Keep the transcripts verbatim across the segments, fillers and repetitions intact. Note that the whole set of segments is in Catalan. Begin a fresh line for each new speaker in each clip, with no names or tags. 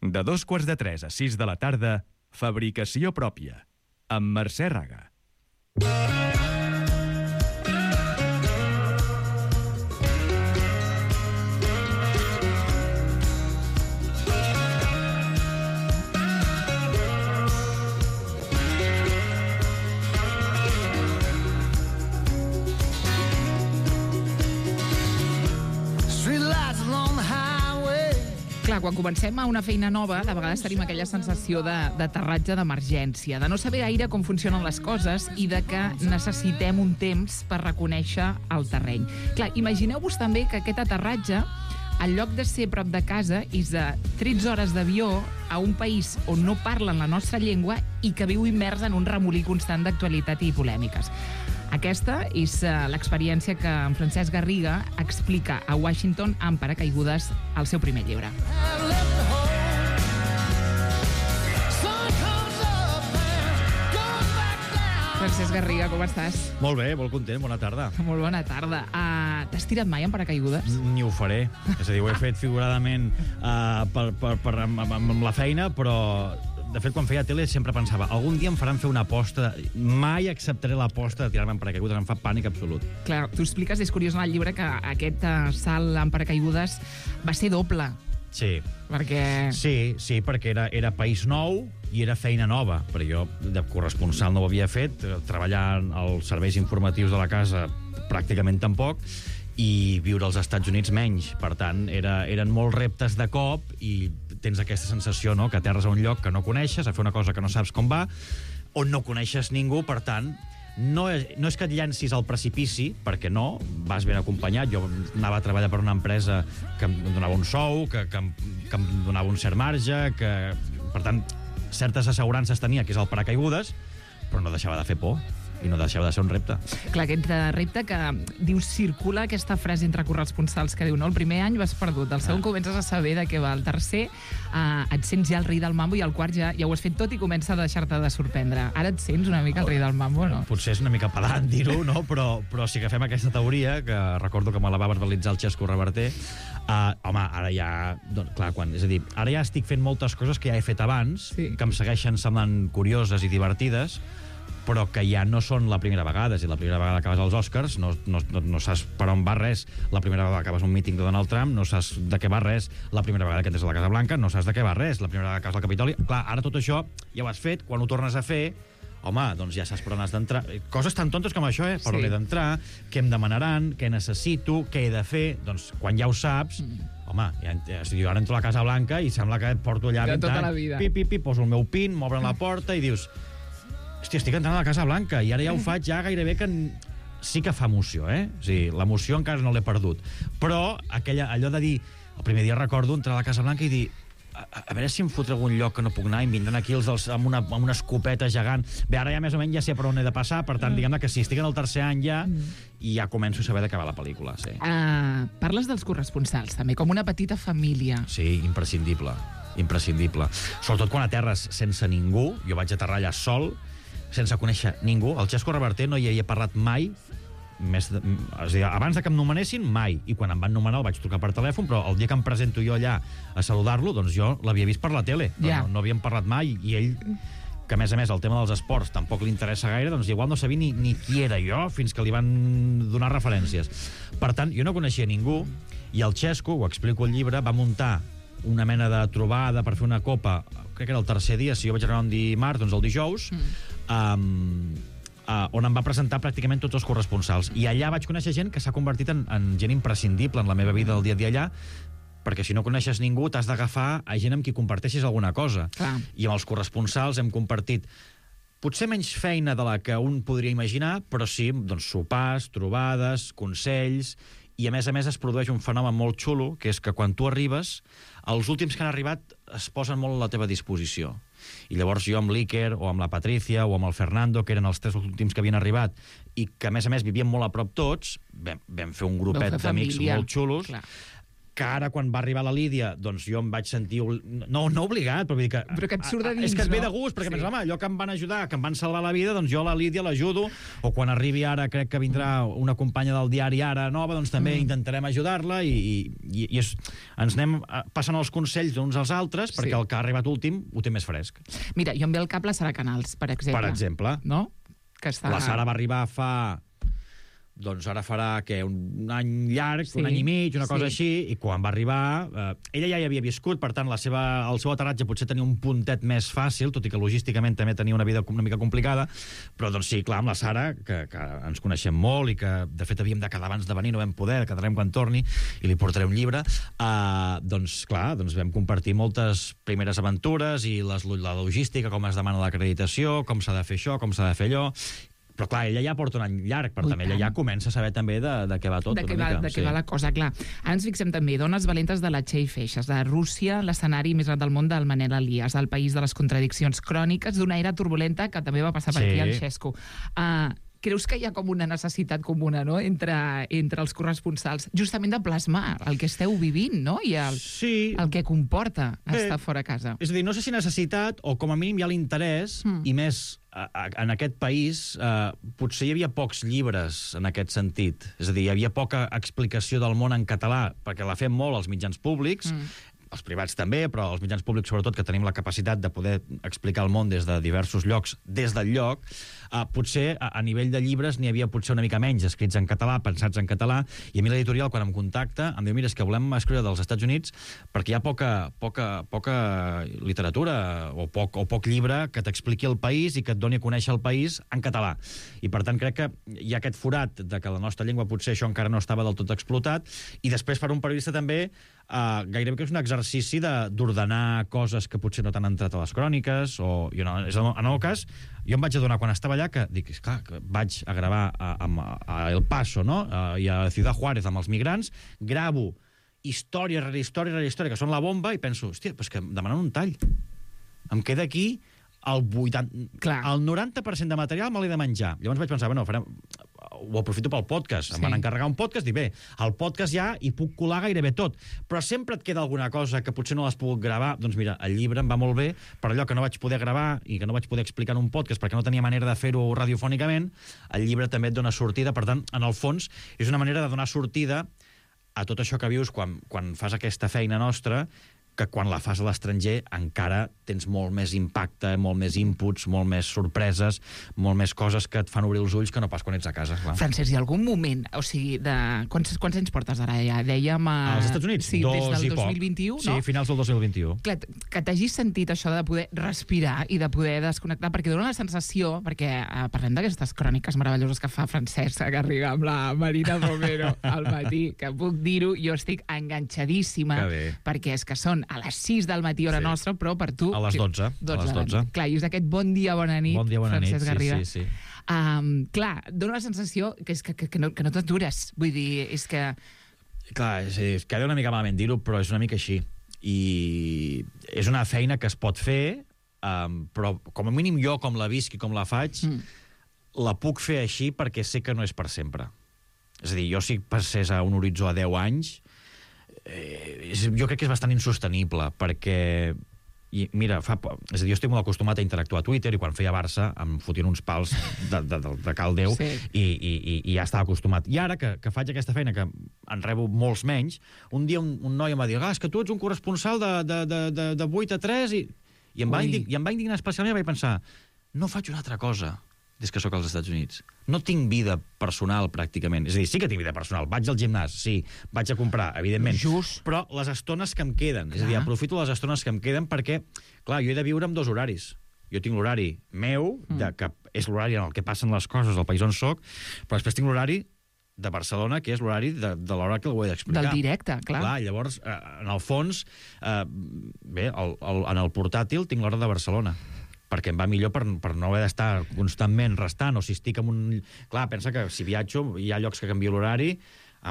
De dos quarts de tres a sis de la tarda, Fabricació pròpia, amb Mercè Raga.
Clar, quan comencem a una feina nova, de vegades tenim aquella sensació d'aterratge d'emergència, de no saber gaire com funcionen les coses i de que necessitem un temps per reconèixer el terreny. Clar, imagineu-vos també que aquest aterratge, en lloc de ser prop de casa, és de tretze hores d'avió a un país on no parlen la nostra llengua i que viu immers en un remolí constant d'actualitat i polèmiques. Aquesta és l'experiència que en Francesc Garriga explica a Washington amb paracaigudes al seu primer llibre. Francesc Garriga, com estàs?
Molt bé, molt content, bona tarda.
Molt bona tarda. Uh, T'has tirat mai en paracaigudes?
Ni ho faré. És a dir, ho he fet figuradament uh, per, per, per, amb, amb la feina, però... De fet, quan feia tele sempre pensava algun dia em faran fer una aposta, mai acceptaré l'aposta de tirar-me en paracaigudes, em fa pànic absolut.
Clar, tu expliques, és curiós en el llibre, que aquest uh, salt en paracaigudes va ser doble.
Sí.
Perquè...
Sí, sí, perquè era, era país nou i era feina nova, perquè jo de corresponsal no ho havia fet, treballar als serveis informatius de la casa pràcticament tampoc, i viure als Estats Units menys. Per tant, era, eren molts reptes de cop i tens aquesta sensació, no?, que aterres a un lloc que no coneixes, a fer una cosa que no saps com va, on no coneixes ningú, per tant, no és, no és que et llencis al precipici, perquè no, vas ben acompanyat. Jo anava a treballar per una empresa que em donava un sou, que, que, em, que em donava un cert marge, que, per tant, certes assegurances tenia, que és el paracaigudes, però no deixava de fer por i no deixava de ser un repte.
Clar, aquest repte que dius, circula aquesta frase entre corresponsals que diu, no, el primer any vas perdut, el segon ah. comences a saber de què va, el tercer eh, et sents ja el rei del mambo i el quart ja, ja ho has fet tot i comença a deixar-te de sorprendre. Ara et sents una mica el rei del mambo, no?
Potser és una mica pedant dir-ho, no? però, però si agafem aquesta teoria, que recordo que me la va verbalitzar el Xesco Reverter, uh, home, ara ja... Doncs, clar, quan, és a dir, ara ja estic fent moltes coses que ja he fet abans, sí. que em segueixen semblant curioses i divertides, però que ja no són la primera vegada. És a dir, la primera vegada que acabes als Oscars no, no, no, no saps per on va res. La primera vegada que acabes un míting de Donald Trump no saps de què va res. La primera vegada que entres a la Casa Blanca no saps de què va res. La primera vegada que acabes al Capitoli... Clar, ara tot això ja ho has fet. Quan ho tornes a fer, home, doncs ja saps per on has d'entrar. Coses tan tontes com això, eh? Per sí. on he d'entrar, què em demanaran, què necessito, què he de fer... Doncs quan ja ho saps... Mm. Home, ja, ja, jo ara entro a la Casa Blanca i sembla que porto allà
vint
tota
la vida.
Pi, pi, pi, poso el meu pin, m'obren la porta i dius... Hòstia, estic entrant a la Casa Blanca i ara ja ho faig ja gairebé que... Sí que fa emoció, eh? O sigui, l'emoció encara no l'he perdut. Però aquella, allò de dir... El primer dia recordo entrar a la Casa Blanca i dir... A, a veure si em fotré algun lloc que no puc anar i em vindran aquí els dels, amb, una, amb una escopeta gegant. Bé, ara ja més o menys ja sé per on he de passar, per tant, diguem-ne que si estic en el tercer any ja, i ja començo a saber de què va la pel·lícula, sí.
Uh, parles dels corresponsals, també, com una petita família.
Sí, imprescindible, imprescindible. Sobretot quan aterres sense ningú, jo vaig aterrar allà sol, sense conèixer ningú. El Xesco Reverter no hi havia parlat mai, més de, és a dir, abans de que em nomenessin, mai. I quan em van nomenar el vaig trucar per telèfon, però el dia que em presento jo allà a saludar-lo, doncs jo l'havia vist per la tele. Yeah. No, no havíem parlat mai, i ell, que a més a més el tema dels esports tampoc li interessa gaire, doncs igual no sabia ni, ni qui era jo fins que li van donar referències. Per tant, jo no coneixia ningú, i el Xesco, ho explico al llibre, va muntar una mena de trobada per fer una copa, crec que era el tercer dia, si jo vaig arribar un dimarts, doncs el dijous, mm. um, uh, on em va presentar pràcticament tots els corresponsals. I allà vaig conèixer gent que s'ha convertit en, en gent imprescindible en la meva vida del dia a dia allà, perquè si no coneixes ningú t'has d'agafar a gent amb qui comparteixis alguna cosa. Clar. I amb els corresponsals hem compartit potser menys feina de la que un podria imaginar, però sí, doncs, sopars, trobades, consells, i a més a més es produeix un fenomen molt xulo, que és que quan tu arribes, els últims que han arribat es posen molt a la teva disposició. I llavors jo amb l'Iker, o amb la Patricia, o amb el Fernando, que eren els tres últims que havien arribat, i que a més a més vivien molt a prop tots, vam, vam fer un grupet d'amics molt xulos, clar, que ara, quan va arribar la Lídia, doncs jo em vaig sentir... No, no obligat, però vull dir que...
Però que et surt de dins,
és que et ve
no?
de gust, perquè
Sí.
penses, home, allò que em van ajudar, que em van salvar la vida, doncs jo a la Lídia l'ajudo, o quan arribi ara, crec que vindrà una companya del diari Ara nova, doncs també mm. intentarem ajudar-la, i, i, i és, ens anem passant els consells uns als altres, perquè
Sí.
el que ha arribat últim ho té més fresc.
Mira, jo em ve al cap la Sara Canals, per exemple.
Per exemple.
No? Que està...
La Sara va arribar fa... doncs ara farà, què, un any llarg,
Sí,
un any i mig, una cosa
sí.
així, i quan va arribar, eh, ella ja hi havia viscut, per tant, la seva, el seu aterratge potser tenia un puntet més fàcil, tot i que logísticament també tenia una vida una mica complicada, però doncs sí, clar, amb la Sara, que, que ens coneixem molt i que, de fet, havíem de quedar abans de venir, no vam poder, quedarem quan torni, i li portaré un llibre, eh, doncs, clar, doncs vam compartir moltes primeres aventures i les, la logística, com es demana l'acreditació, com s'ha de fer això, com s'ha de fer allò. Però clar, ella ja porta un any llarg, per
Ui,
tant, ella
tant.
ja comença a saber també de, de què va tot.
de què
una
va,
mica,
de què
sí.
va la cosa, clar. Ara ens fixem també, Dones valentes de la Txell Feixes, de Rússia, l'escenari més gran del món del Manel Elias, el país de les contradiccions cròniques d'una era turbulenta que també va passar per
Sí.
aquí al Xesco. Uh, creus que hi ha com una necessitat comuna, no?, entre, entre els corresponsals, justament de plasmar el que esteu vivint, no?, i el,
Sí.
el que comporta
Bé,
estar fora a casa.
És a dir, no sé si necessitat, o com a mínim hi ha l'interès,
Mm.
i més a, a, en aquest país, eh, potser hi havia pocs llibres en aquest sentit. És a dir, hi havia poca explicació del món en català, perquè la fem molt als mitjans públics,
Mm.
els privats també, però els mitjans públics sobretot, que tenim la capacitat de poder explicar el món des de diversos llocs, des del lloc, eh, potser a, a nivell de llibres n'hi havia potser una mica menys escrits en català, pensats en català, i a mi l'editorial, quan em contacta, em diu, mira, és que volem escriure dels Estats Units perquè hi ha poca, poca, poca literatura o poc, o poc llibre que t'expliqui el país i que et doni a conèixer el país en català. I per tant crec que hi ha aquest forat de que la nostra llengua potser això encara no estava del tot explotat, i després per un periodista també Uh, gairebé que és un exercici de- d'ordenar coses que potser no t'han entrat a les cròniques, o jo no, és el, en el meu cas, jo em vaig adonar quan estava allà que, dic, esclar, que vaig a gravar a, a, a El Paso, no?, uh, i a Ciudad Juárez amb els migrants, gravo història rere història rere història, que són la bomba, i penso, hòstia, però és que em demanen un tall. Em queda aquí el vuitanta...
Clar.
El noranta per cent de material me l'he de menjar. Llavors vaig pensar, bueno, farem... ho aprofito pel podcast. Em
Sí.
van encarregar un podcast, dic, bé, al podcast ja hi puc colar gairebé tot, però sempre et queda alguna cosa que potser no l'has pogut gravar. Doncs mira, el llibre em va molt bé, per allò que no vaig poder gravar i que no vaig poder explicar en un podcast perquè no tenia manera de fer-ho radiofònicament, el llibre també et dona sortida. Per tant, en el fons, és una manera de donar sortida a tot això que vius quan, quan fas aquesta feina nostra, que quan la fas a l'estranger encara tens molt més impacte, molt més inputs, molt més sorpreses, molt més coses que et fan obrir els ulls que no pas quan ets a casa, clar.
Francesc, hi ha algun moment, o sigui, de... Quants, quants anys portes ara ja? Dèiem... A...
Als Estats Units?
Sí,
Dos
des del
i
dos
poc.
mil vint-i-u,
Sí,
no?
finals del dos mil vint-i-u.
Clar, que t'hagis sentit això de poder respirar i de poder desconnectar, perquè dona la sensació, perquè eh, parlem d'aquestes cròniques meravelloses que fa Francesc, que arriba amb la Marina Romero al matí, que puc dir-ho, jo estic enganxadíssima,
Que bé.
perquè és que són a les sis del matí hora
Sí.
nostra, però per tu...
A les dotze, a les
de la
dotze.
nit. Clar, i és aquest bon dia, bona nit,
Bon dia, bona nit,
Francesc
sí,
Garriga.
sí, sí.
Um, clar, dona la sensació que, és que, que, que no, que no t'atures. Vull dir, és que...
Clar, sí, queda una mica malament dir-ho, però és una mica així. I és una feina que es pot fer, um, però com a mínim jo, com la visc i com la faig,
Mm.
la puc fer així perquè sé que no és per sempre. És a dir, jo si passés a un horitzó a deu anys, eh, és, jo crec que és bastant insostenible, perquè i mira, fa, és a dir, jo estic molt acostumat a interactuar a Twitter, i quan feia Barça em fotien uns pals de, de, de, de cal Déu,
Sí.
i, i, i, i ja estava acostumat. I ara que, que faig aquesta feina, que en rebo molts menys, un dia un, un noi em va dir, ah, és que tu ets un corresponsal de, de, de, de, de vuit a tres, i, i, em va
Ui.
indig, i em va indignar especialment, i vaig pensar, no faig una altra cosa des que sóc als Estats Units. No tinc vida personal, pràcticament. És a dir, sí que tinc vida personal. Vaig al gimnàs, sí. Vaig a comprar, evidentment.
Just.
Però les estones que em queden, és a dir,
Clar.
aprofito les estones que em queden perquè, clar, jo he de viure amb dos horaris. Jo tinc l'horari meu, de, que és l'horari en el que passen les coses al país on soc, però després tinc l'horari de Barcelona, que és l'horari de, de l'hora que ho he d'explicar.
Del directe, clar.
Clar, llavors, eh, en el fons, eh, bé, el, el, en el portàtil tinc l'hora de Barcelona, perquè em va millor per, per no haver d'estar constantment restant, o si estic en un... Clar, pensa que si viatjo, hi ha llocs que canvio l'horari,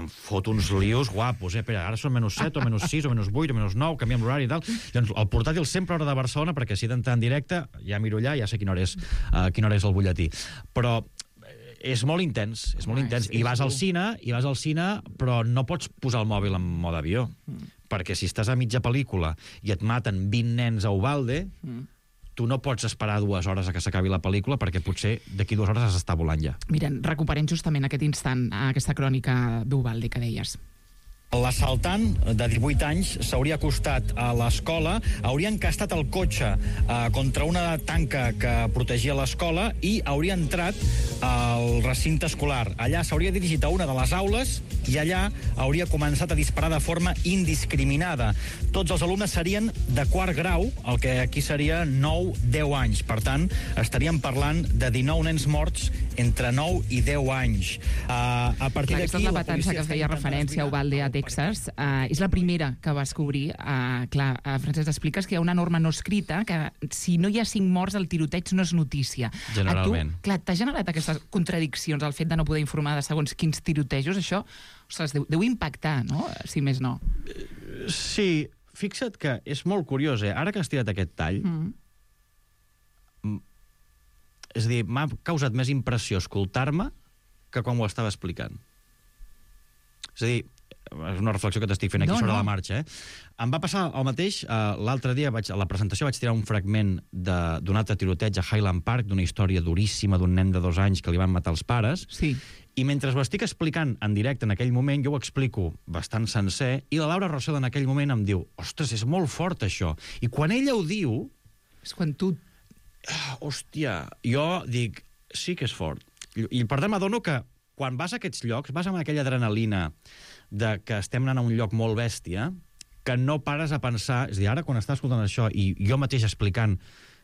em fot uns lius guapos, eh? Espera, ara són menys set, o menys sis, o menys vuit, o menys nou, canviem l'horari i tal. Llavors, el portàtil sempre hora de Barcelona, perquè si he d'entrar en directe, ja miro allà, ja sé quina hora és, uh, quina hora és el butlletí. Però és molt intens, és molt
Ah,
intens.
és-
I
és
vas al
dur.
cine, i vas al cine, però no pots posar el mòbil en mode avió. Mm. Perquè si estàs a mitja pel·lícula i et maten vint nens a Uvalde, mm. tu no pots esperar dues hores a que s'acabi la pel·lícula perquè potser d'aquí dues hores has d'estar volant ja.
Mira, recuperem justament aquest instant, aquesta crònica d'Uvalde que deies.
L'assaltant, de divuit anys, s'hauria acostat a l'escola, hauria encastat el cotxe eh, contra una tanca que protegia l'escola i hauria entrat al recinte escolar. Allà s'hauria dirigit a una de les aules i allà hauria començat a disparar de forma indiscriminada. Tots els alumnes serien de quart grau, el que aquí seria nou deu anys. Per tant, estaríem parlant de dinou nens morts entre nou i deu anys. Uh, a partir
Clar, aquesta és
d'aquí...
la matança que feia referència a Uvalde, a Texas. Uh, és la primera que vas cobrir. Uh, clar, uh, Francesc, expliques que hi ha una norma no escrita que si no hi ha cinc morts, el tiroteig no és notícia.
Generalment.
A tu, clar, t'ha generat aquestes contradiccions, el fet de no poder informar de segons quins tirotejos? Això, ostres, deu, deu impactar, no? Si més no.
Sí, fixa't que és molt curiós, eh? Ara que has tirat aquest tall, mm. és a dir, m'ha causat més impressió escoltar-me que quan ho estava explicant. És a dir, és una reflexió que t'estic fent aquí
No,
sobre
no.
la marxa, eh? Em va passar el mateix, eh, l'altre dia vaig, a la presentació vaig tirar un fragment de- d'un altre tiroteig a Highland Park, d'una història duríssima d'un nen de dos anys que li van matar els pares,
Sí.
i mentre ho estic explicant en directe en aquell moment, jo ho explico bastant sencer, i la Laura Rossell en aquell moment em diu, ostres, és molt fort això. I quan ella ho diu,
És quan tu...
hòstia, jo dic, sí que és fort. I, i per tant m'adono que quan vas a aquests llocs, vas amb aquella adrenalina de que estem anant a un lloc molt bèstia, que no pares a pensar... És a dir, ara quan estàs escoltant això i jo mateix explicant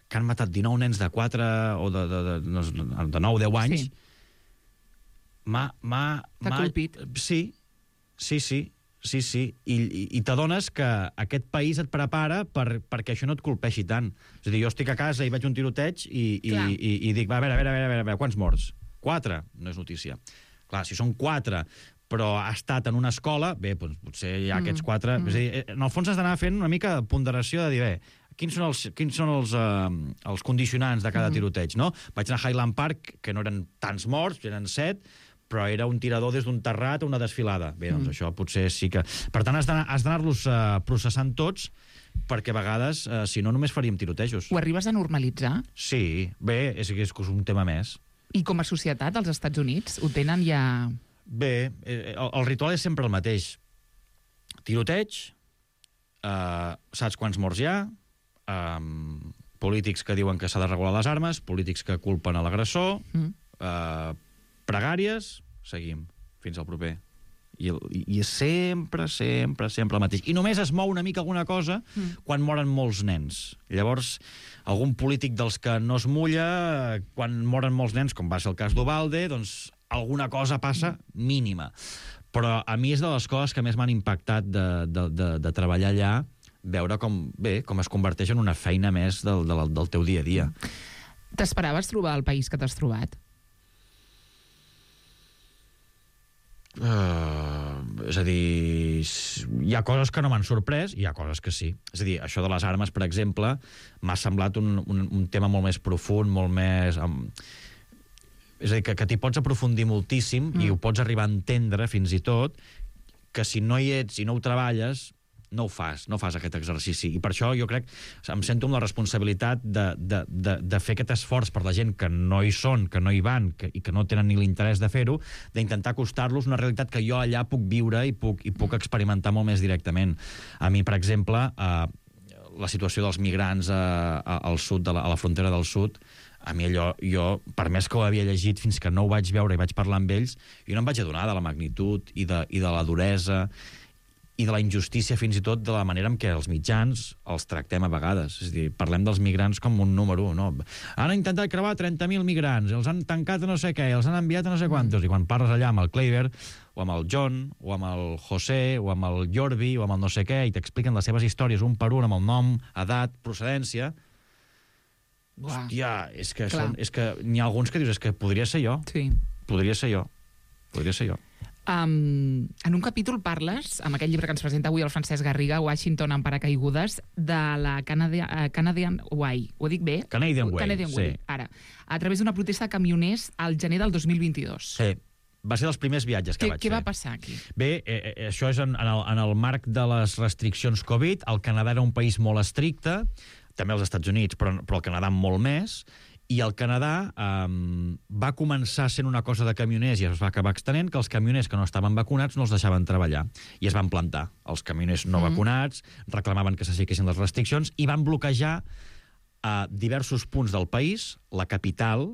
que han matat dinou nens de quatre o de, de, de, de, de nou o deu anys,
Sí.
m'ha... m'ha-
T'ha
m'ha-
colpit.
Sí, sí, sí. Sí, sí, i, i, i t'adones que aquest país et prepara per, perquè això no et colpeixi tant. És a dir, jo estic a casa i veig un tiroteig i, i,
Clar.
i, i dic, va, a veure, a veure, a veure, a veure, quants morts? Quatre? No és notícia. Clar, si són quatre, però ha estat en una escola, bé, doncs potser hi ha
Mm.
aquests quatre...
Mm.
És a dir, en el fons has d'anar fent una mica de ponderació de dir, bé, quins són els, quins són els, eh, els condicionants de cada
Mm.
tiroteig, no? Vaig anar a Highland Park, que no eren tants morts, eren set, però era un tirador des d'un terrat a una desfilada. Bé, doncs mm. això potser sí que... Per tant, has d'anar- has d'anar-los uh, processant tots, perquè a vegades, uh, si no, només faríem tirotejos.
Ho arribes a normalitzar?
Sí, bé, és, és un tema més.
I com a societat, als Estats Units, ho tenen ja...
Bé, eh, el, el ritual és sempre el mateix. Tiroteig, uh, saps quants morts hi ha, um, polítics que diuen que s'ha de regular les armes, polítics que culpen a l'agressor,
Mm.
uh, pregàries, seguim, fins al proper. I, el, i, i és sempre, sempre, sempre el mateix. I només es mou una mica alguna cosa mm. quan moren molts nens. Llavors, algun polític dels que no es mulla, quan moren molts nens, com va ser el cas d'Uvalde, doncs alguna cosa passa mínima. Però a mi és de les coses que més m'han impactat de, de, de, de treballar allà, veure com, bé, com es converteix en una feina més del, del, del teu dia a dia.
T'esperaves trobar el país que t'has trobat?
Uh, és a dir, hi ha coses que no m'han sorprès i hi ha coses que sí. És a dir, això de les armes, per exemple, m'ha semblat un, un, un tema molt més profund, molt més... Um, és a dir, que, que t'hi pots aprofundir moltíssim mm. i ho pots arribar a entendre fins i tot, que si no hi ets i no ho treballes, no ho fas, no fas aquest exercici. I per això jo crec, em sento amb la responsabilitat de, de, de, de fer aquest esforç per la gent que no hi són, que no hi van que, i que no tenen ni l'interès de fer-ho, d'intentar acostar-los una realitat que jo allà puc viure i puc, i puc experimentar molt més directament. A mi, per exemple, eh, la situació dels migrants a, a, al sud, de la, a la frontera del sud, a mi allò, jo, per més que ho havia llegit, fins que no ho vaig veure i vaig parlar amb ells, jo no em vaig adonar de la magnitud i de, i de la duresa i de la injustícia, fins i tot de la manera en què els mitjans els tractem a vegades. És a dir, parlem dels migrants com un número, no? Han intentat creuar trenta mil migrants, els han tancat a no sé què, els han enviat a no sé quantos, i quan parles allà amb el Kleiber, o amb el John, o amb el José, o amb el Jordi, o amb el no sé què, i t'expliquen les seves històries un per un, amb el nom, edat, procedència...
Uah.
Hòstia, és que,
Clar.
són, és que n'hi ha alguns que dius, és que podria ser jo,
Sí.
podria ser jo, podria ser jo.
Um, en un capítol parles, amb aquell llibre que ens presenta avui el Francesc Garriga, Washington en paracaigudes, de la Canadian, uh, Canadian Way. Ho dic bé?
Canadian Way,
Canadian Way,
sí.
Ara. A través d'una protesta de camioners al gener del dos mil vint-i-dos.
Sí, va ser dels primers viatges que
Què,
vaig
què
fer.
va passar aquí?
Bé, eh, eh, això és en, en, el, en el marc de les restriccions Covid. El Canadà era un país molt estricte, també els Estats Units, però, però el Canadà molt més, i el Canadà eh, va començar sent una cosa de camioners i es va acabar extenent, que els camioners que no estaven vacunats no els deixaven treballar. I es van plantar. Els camioners no mm. vacunats reclamaven que s'aixequessin les restriccions i van bloquejar a diversos punts del país, la capital,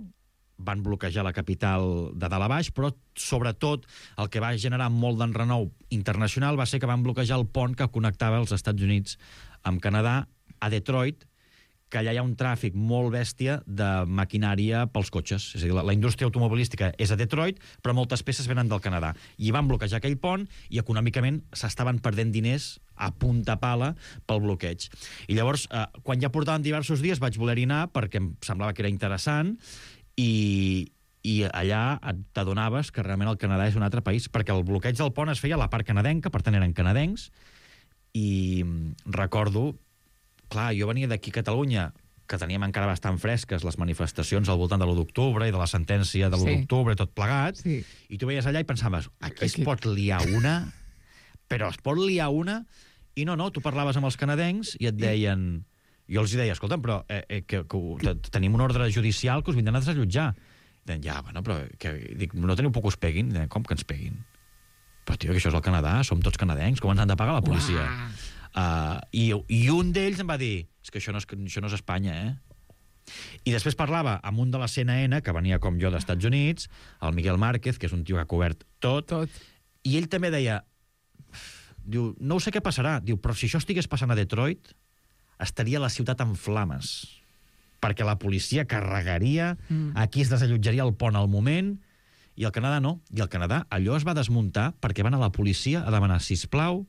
van bloquejar la capital de dalt a baix, però sobretot el que va generar molt d'enrenou internacional va ser que van bloquejar el pont que connectava els Estats Units amb Canadà a Detroit, que allà hi ha un tràfic molt bèstia de maquinària pels cotxes. És a dir, la, la indústria automobilística és a Detroit, però moltes peces venen del Canadà. I van bloquejar aquell pont i econòmicament s'estaven perdent diners a punta pala pel bloqueig. I llavors, eh, quan ja portaven diversos dies, vaig voler-hi anar perquè em semblava que era interessant i, i allà t'adonaves que realment el Canadà és un altre país, perquè el bloqueig del pont es feia a la part canadenca, per tant eren canadencs, i recordo... Clar, jo venia d'aquí a Catalunya, que teníem encara bastant fresques les manifestacions al voltant de l'u d'octubre i de la sentència de l'u
Sí.
d'octubre i tot plegat,
Sí.
i tu veies allà i pensaves, aquí es
Aquí.
pot liar una, però es pot liar una, i no, no, tu parlaves amb els canadencs i et deien... Jo els deia, escolta'm, però eh, eh, que, que tenim un ordre judicial que us vindran a desallotjar. I deien, ja, bueno, però que, dic, no teniu por que us peguin? I deien, com que ens peguin? Però, tio, que això és el Canadà, som tots canadencs, com ens han de pagar la policia?
Uah.
Uh, i, I un d'ells em va dir, és que això no és, això no és Espanya, eh? I després parlava amb un de la C N N, que venia com jo d'Estats Units, el Miguel Márquez, que és un tio que ha cobert tot,
Tot.
i ell també deia, diu, no ho sé què passarà, diu, però si això estigués passant a Detroit, estaria la ciutat en flames, perquè la policia carregaria, mm. aquí es desallotjaria el pont al moment, i el Canadà no. I el Canadà, allò es va desmuntar perquè van a la policia a demanar, sisplau,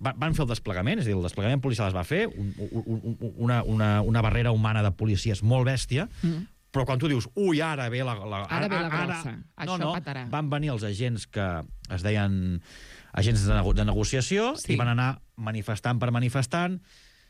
van fer el desplegament, és a dir, el desplegament policial es va fer, un, un, una, una, una barrera humana de policies molt bèstia, mm. però quan tu dius, ui, ara ve la... la
Ara ve la grossa, això
no, no,
petarà.
van venir els agents que es deien agents de, nego de negociació
Sí.
i van anar manifestant per manifestant,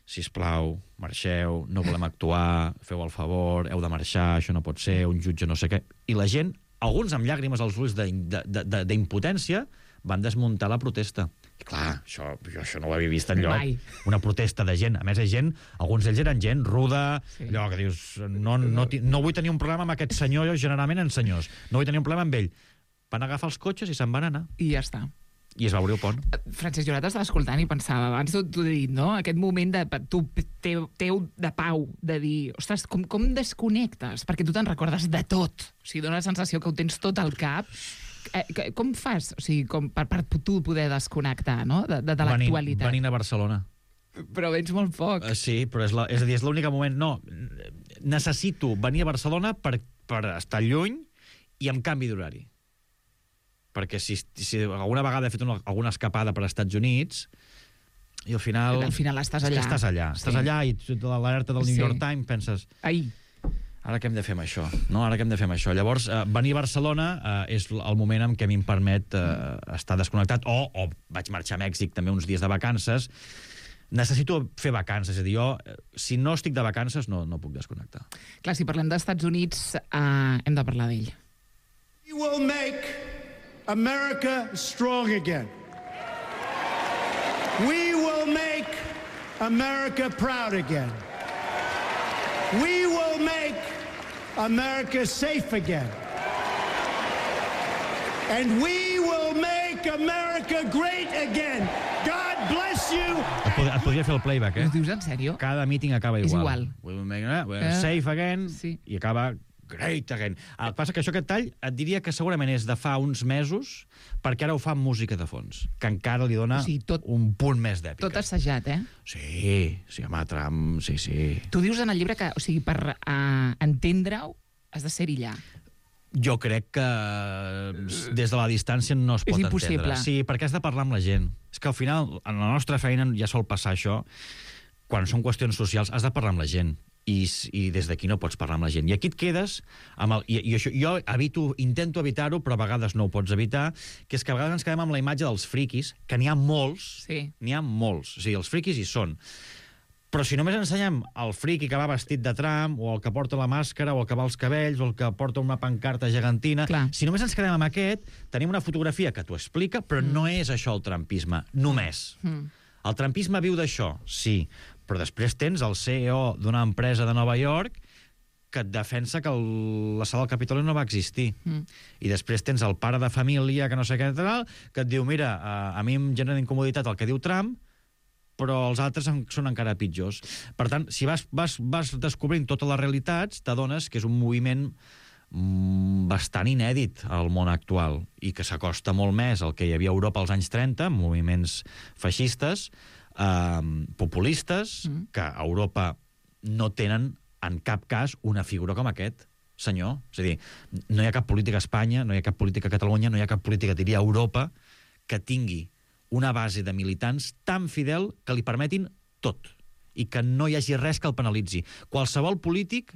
sisplau, marxeu, no volem actuar, feu el favor, heu de marxar, això no pot ser, un jutge no sé què... I la gent, alguns amb llàgrimes als ulls d'impotència, van desmuntar la protesta. I clar, això, jo això no ho havia vist enlloc.
Mai.
Una protesta de gent. A més, és gent, alguns d'ells eren gent ruda,
Sí.
allò que dius, no, no, ti- no vull tenir un problema amb aquest senyor, jo generalment en senyors. No vull tenir un problema amb ell. Van agafar els cotxes i se'n van anar.
I ja està.
I es va obrir el pont.
Francesc, jo t'estava escoltant i pensava, abans t'ho t'ho he dit, no? Aquest moment de, tu, teu, teu de pau, de dir, ostres, com, com desconnectes? Perquè tu te'n recordes de tot. O sigui, dona la sensació que ho tens tot al cap. Eh, que- com fas, o sigui, com per, per tu poder desconnectar, no?, de, de, de l'actualitat?
Venint a Barcelona.
Però vens molt poc.
Uh, sí, però és, la, és a dir, és l'únic moment... No, necessito venir a Barcelona per, per estar lluny i amb canvi d'horari. Perquè si, si alguna vegada he fet una, alguna escapada per als Estats Units i al final...
Al final estàs
és que
allà.
Estàs allà, estàs
Sí.
allà i tu- l'alerta del New
Sí.
York Times penses...
Ai,
Ara què hem de fer amb això? No, ara què hem de fer amb això? Llavors, eh, venir a Barcelona eh, és el moment en què a mi em permet eh, estar desconnectat, o, o vaig marxar a Mèxic també uns dies de vacances. Necessito fer vacances, és a dir, jo, eh, si no estic de vacances, no, no puc desconnectar.
clar, si parlem dels Estats Units, eh, hem de parlar d'ell.
We will make America strong again. We will make America proud again. We will make America safe again. And we will make America great again. God bless you.
Et, pod et podria fer el playback, eh?
Ho dius en sèrio?
Cada meeting acaba
És
igual.
igual.
We will make, eh?
Eh,
Safe again,
sí.
i acaba great again. El que passa que això, aquest tall, et diria que segurament és de fa uns mesos, perquè ara ho fa amb música de fons, que encara li dona
O sigui, tot-
un punt més d'èpica.
Tot assajat, eh?
Sí, sí, home, Trump, sí, sí.
Tu dius en el llibre que, o sigui, per uh, entendre-ho, has de ser-hi allà.
Jo crec que des de la distància no es
És
pot
impossible.
entendre. Sí, perquè has de parlar amb la gent. És que al final, en la nostra feina ja sol passar això, quan són qüestions socials, has de parlar amb la gent. i, i des d'aquí no pots parlar amb la gent. I aquí et quedes amb el... I, i això, jo evito, intento evitar-ho, però a vegades no ho pots evitar, que és que a vegades ens quedem amb la imatge dels friquis, que n'hi ha molts,
Sí.
n'hi ha molts. O sigui, els friquis hi són. Però si només ensenyem el friqui que va vestit de Trump, o el que porta la màscara, o el que va als cabells, o el que porta una pancarta gegantina...
Clar.
Si només ens quedem amb aquest, tenim una fotografia que t'ho explica, però mm. no és això el trumpisme, només.
Mm.
El trumpisme viu d'això, sí, però després tens el C E O d'una empresa de Nova York que et defensa que el, la sala del Capitoli no va existir.
Mm.
I després tens el pare de família, que no sé què, tal, que et diu, mira, a, a mi em genera incomoditat el que diu Trump, però els altres en, són encara pitjors. Per tant, si vas, vas, vas descobrint totes les realitats, t'adones que és un moviment mm, bastant inèdit al món actual i que s'acosta molt més al que hi havia a Europa als anys trenta, moviments feixistes, eh, populistes, mm. que a Europa no tenen en cap cas una figura com aquest, senyor. És a dir, no hi ha cap política a Espanya, no hi ha cap política a Catalunya, no hi ha cap política, diria, a Europa, que tingui una base de militants tan fidel que li permetin tot i que no hi hagi res que el penalitzi. Qualsevol polític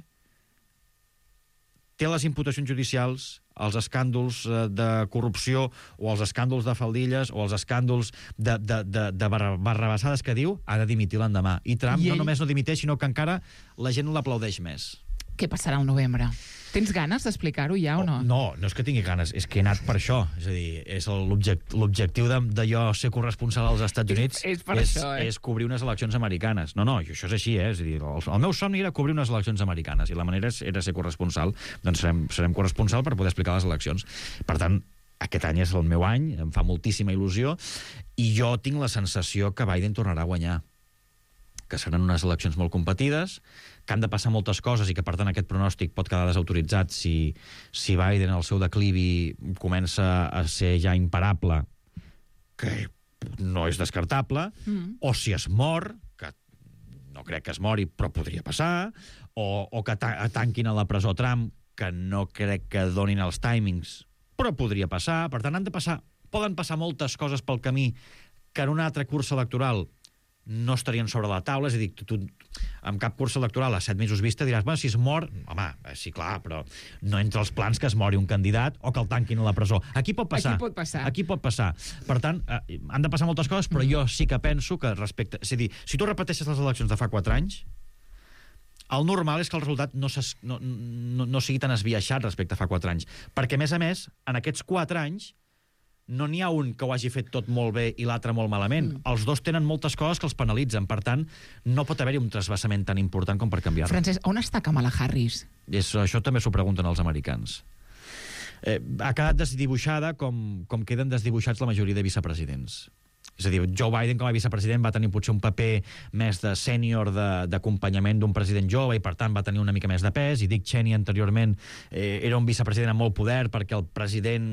té les imputacions judicials, els escàndols de corrupció o els escàndols de faldilles o els escàndols de, de, de, de barrabassades que diu, ha de dimitir l'endemà. I Trump I ell... no només no dimiteix, sinó que encara la gent l'aplaudeix més.
Què passarà al novembre? Tens ganes d'explicar-ho ja o no?
No, no és que tingui ganes, és que he anat per això. És a dir, és l'objectiu de, de jo ser corresponsal als Estats Units
és, és, per
és,
això, eh?
és cobrir unes eleccions americanes. No, no, això és així, eh? És a dir, el, el meu somni era cobrir unes eleccions americanes i la manera era ser corresponsal. Doncs serem, serem corresponsal per poder explicar les eleccions. Per tant, aquest any és el meu any, em fa moltíssima il·lusió, i jo tinc la sensació que Biden tornarà a guanyar, que seran unes eleccions molt competides, que han de passar moltes coses i que, per tant, aquest pronòstic pot quedar desautoritzat si, si Biden, el seu declivi, comença a ser ja imparable, que no és descartable, mm. o si es mor, que no crec que es mori, però podria passar, o, o que ta tanquin a la presó Trump, que no crec que donin els timings, però podria passar. Per tant, han de passar, poden passar moltes coses pel camí que en una altra cursa electoral no estarien sobre la taula. És a dir, tu, tu amb cap cursa electoral a set mesos vista diràs, bueno, si es mor, home, sí, clar, però no entre els plans que es mori un candidat o que el tanquin a la presó. Aquí pot passar.
Aquí pot passar.
Aquí pot passar. Per tant, eh, han de passar moltes coses, però mm. jo sí que penso que respecte... És a dir, si tu repeteixes les eleccions de fa quatre anys, el normal és que el resultat no, no, no, no sigui tan esbiaixat respecte a fa quatre anys. Perquè, a més a més, en aquests quatre anys no n'hi ha un que ho hagi fet tot molt bé i l'altre molt malament. Mm. Els dos tenen moltes coses que els penalitzen. Per tant, no pot haver-hi un trasbassament tan important com per canviar-ho.
Francesc, on està Kamala Harris?
És, això també s'ho pregunten els americans. Eh, ha quedat desdibuixada com, com queden desdibuixats la majoria de vicepresidents. És a dir, Joe Biden com a vicepresident va tenir potser un paper més de sènior d'acompanyament d'un president jove i per tant va tenir una mica més de pes, i Dick Cheney anteriorment eh, era un vicepresident amb molt poder perquè el president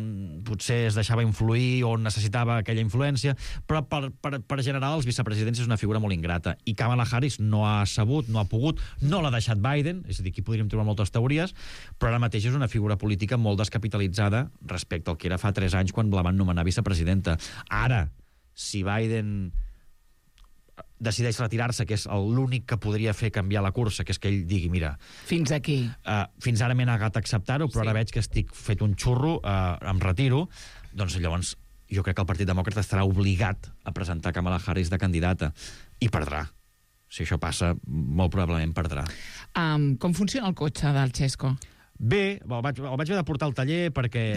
potser es deixava influir o necessitava aquella influència, però per, per, per general els vicepresidents és una figura molt ingrata, i Kamala Harris no ha sabut, no ha pogut, no l'ha deixat Biden, és a dir, aquí podríem trobar moltes teories, però ara mateix és una figura política molt descapitalitzada respecte al que era fa tres anys quan la van nomenar vicepresidenta. Ara, si Biden decideix retirar-se, que és l'únic que podria fer canviar la cursa, que és que ell digui, mira...
Fins aquí.
Uh, fins ara m'he negat a acceptar-ho, però sí. Ara veig que estic fet un xurro, uh, em retiro, doncs llavors jo crec que el Partit Demòcrata estarà obligat a presentar Kamala Harris de candidata, i perdrà. Si això passa, molt probablement perdrà.
Um, com funciona el cotxe del Xesco?
Bé, el vaig, el vaig haver de portar al taller perquè...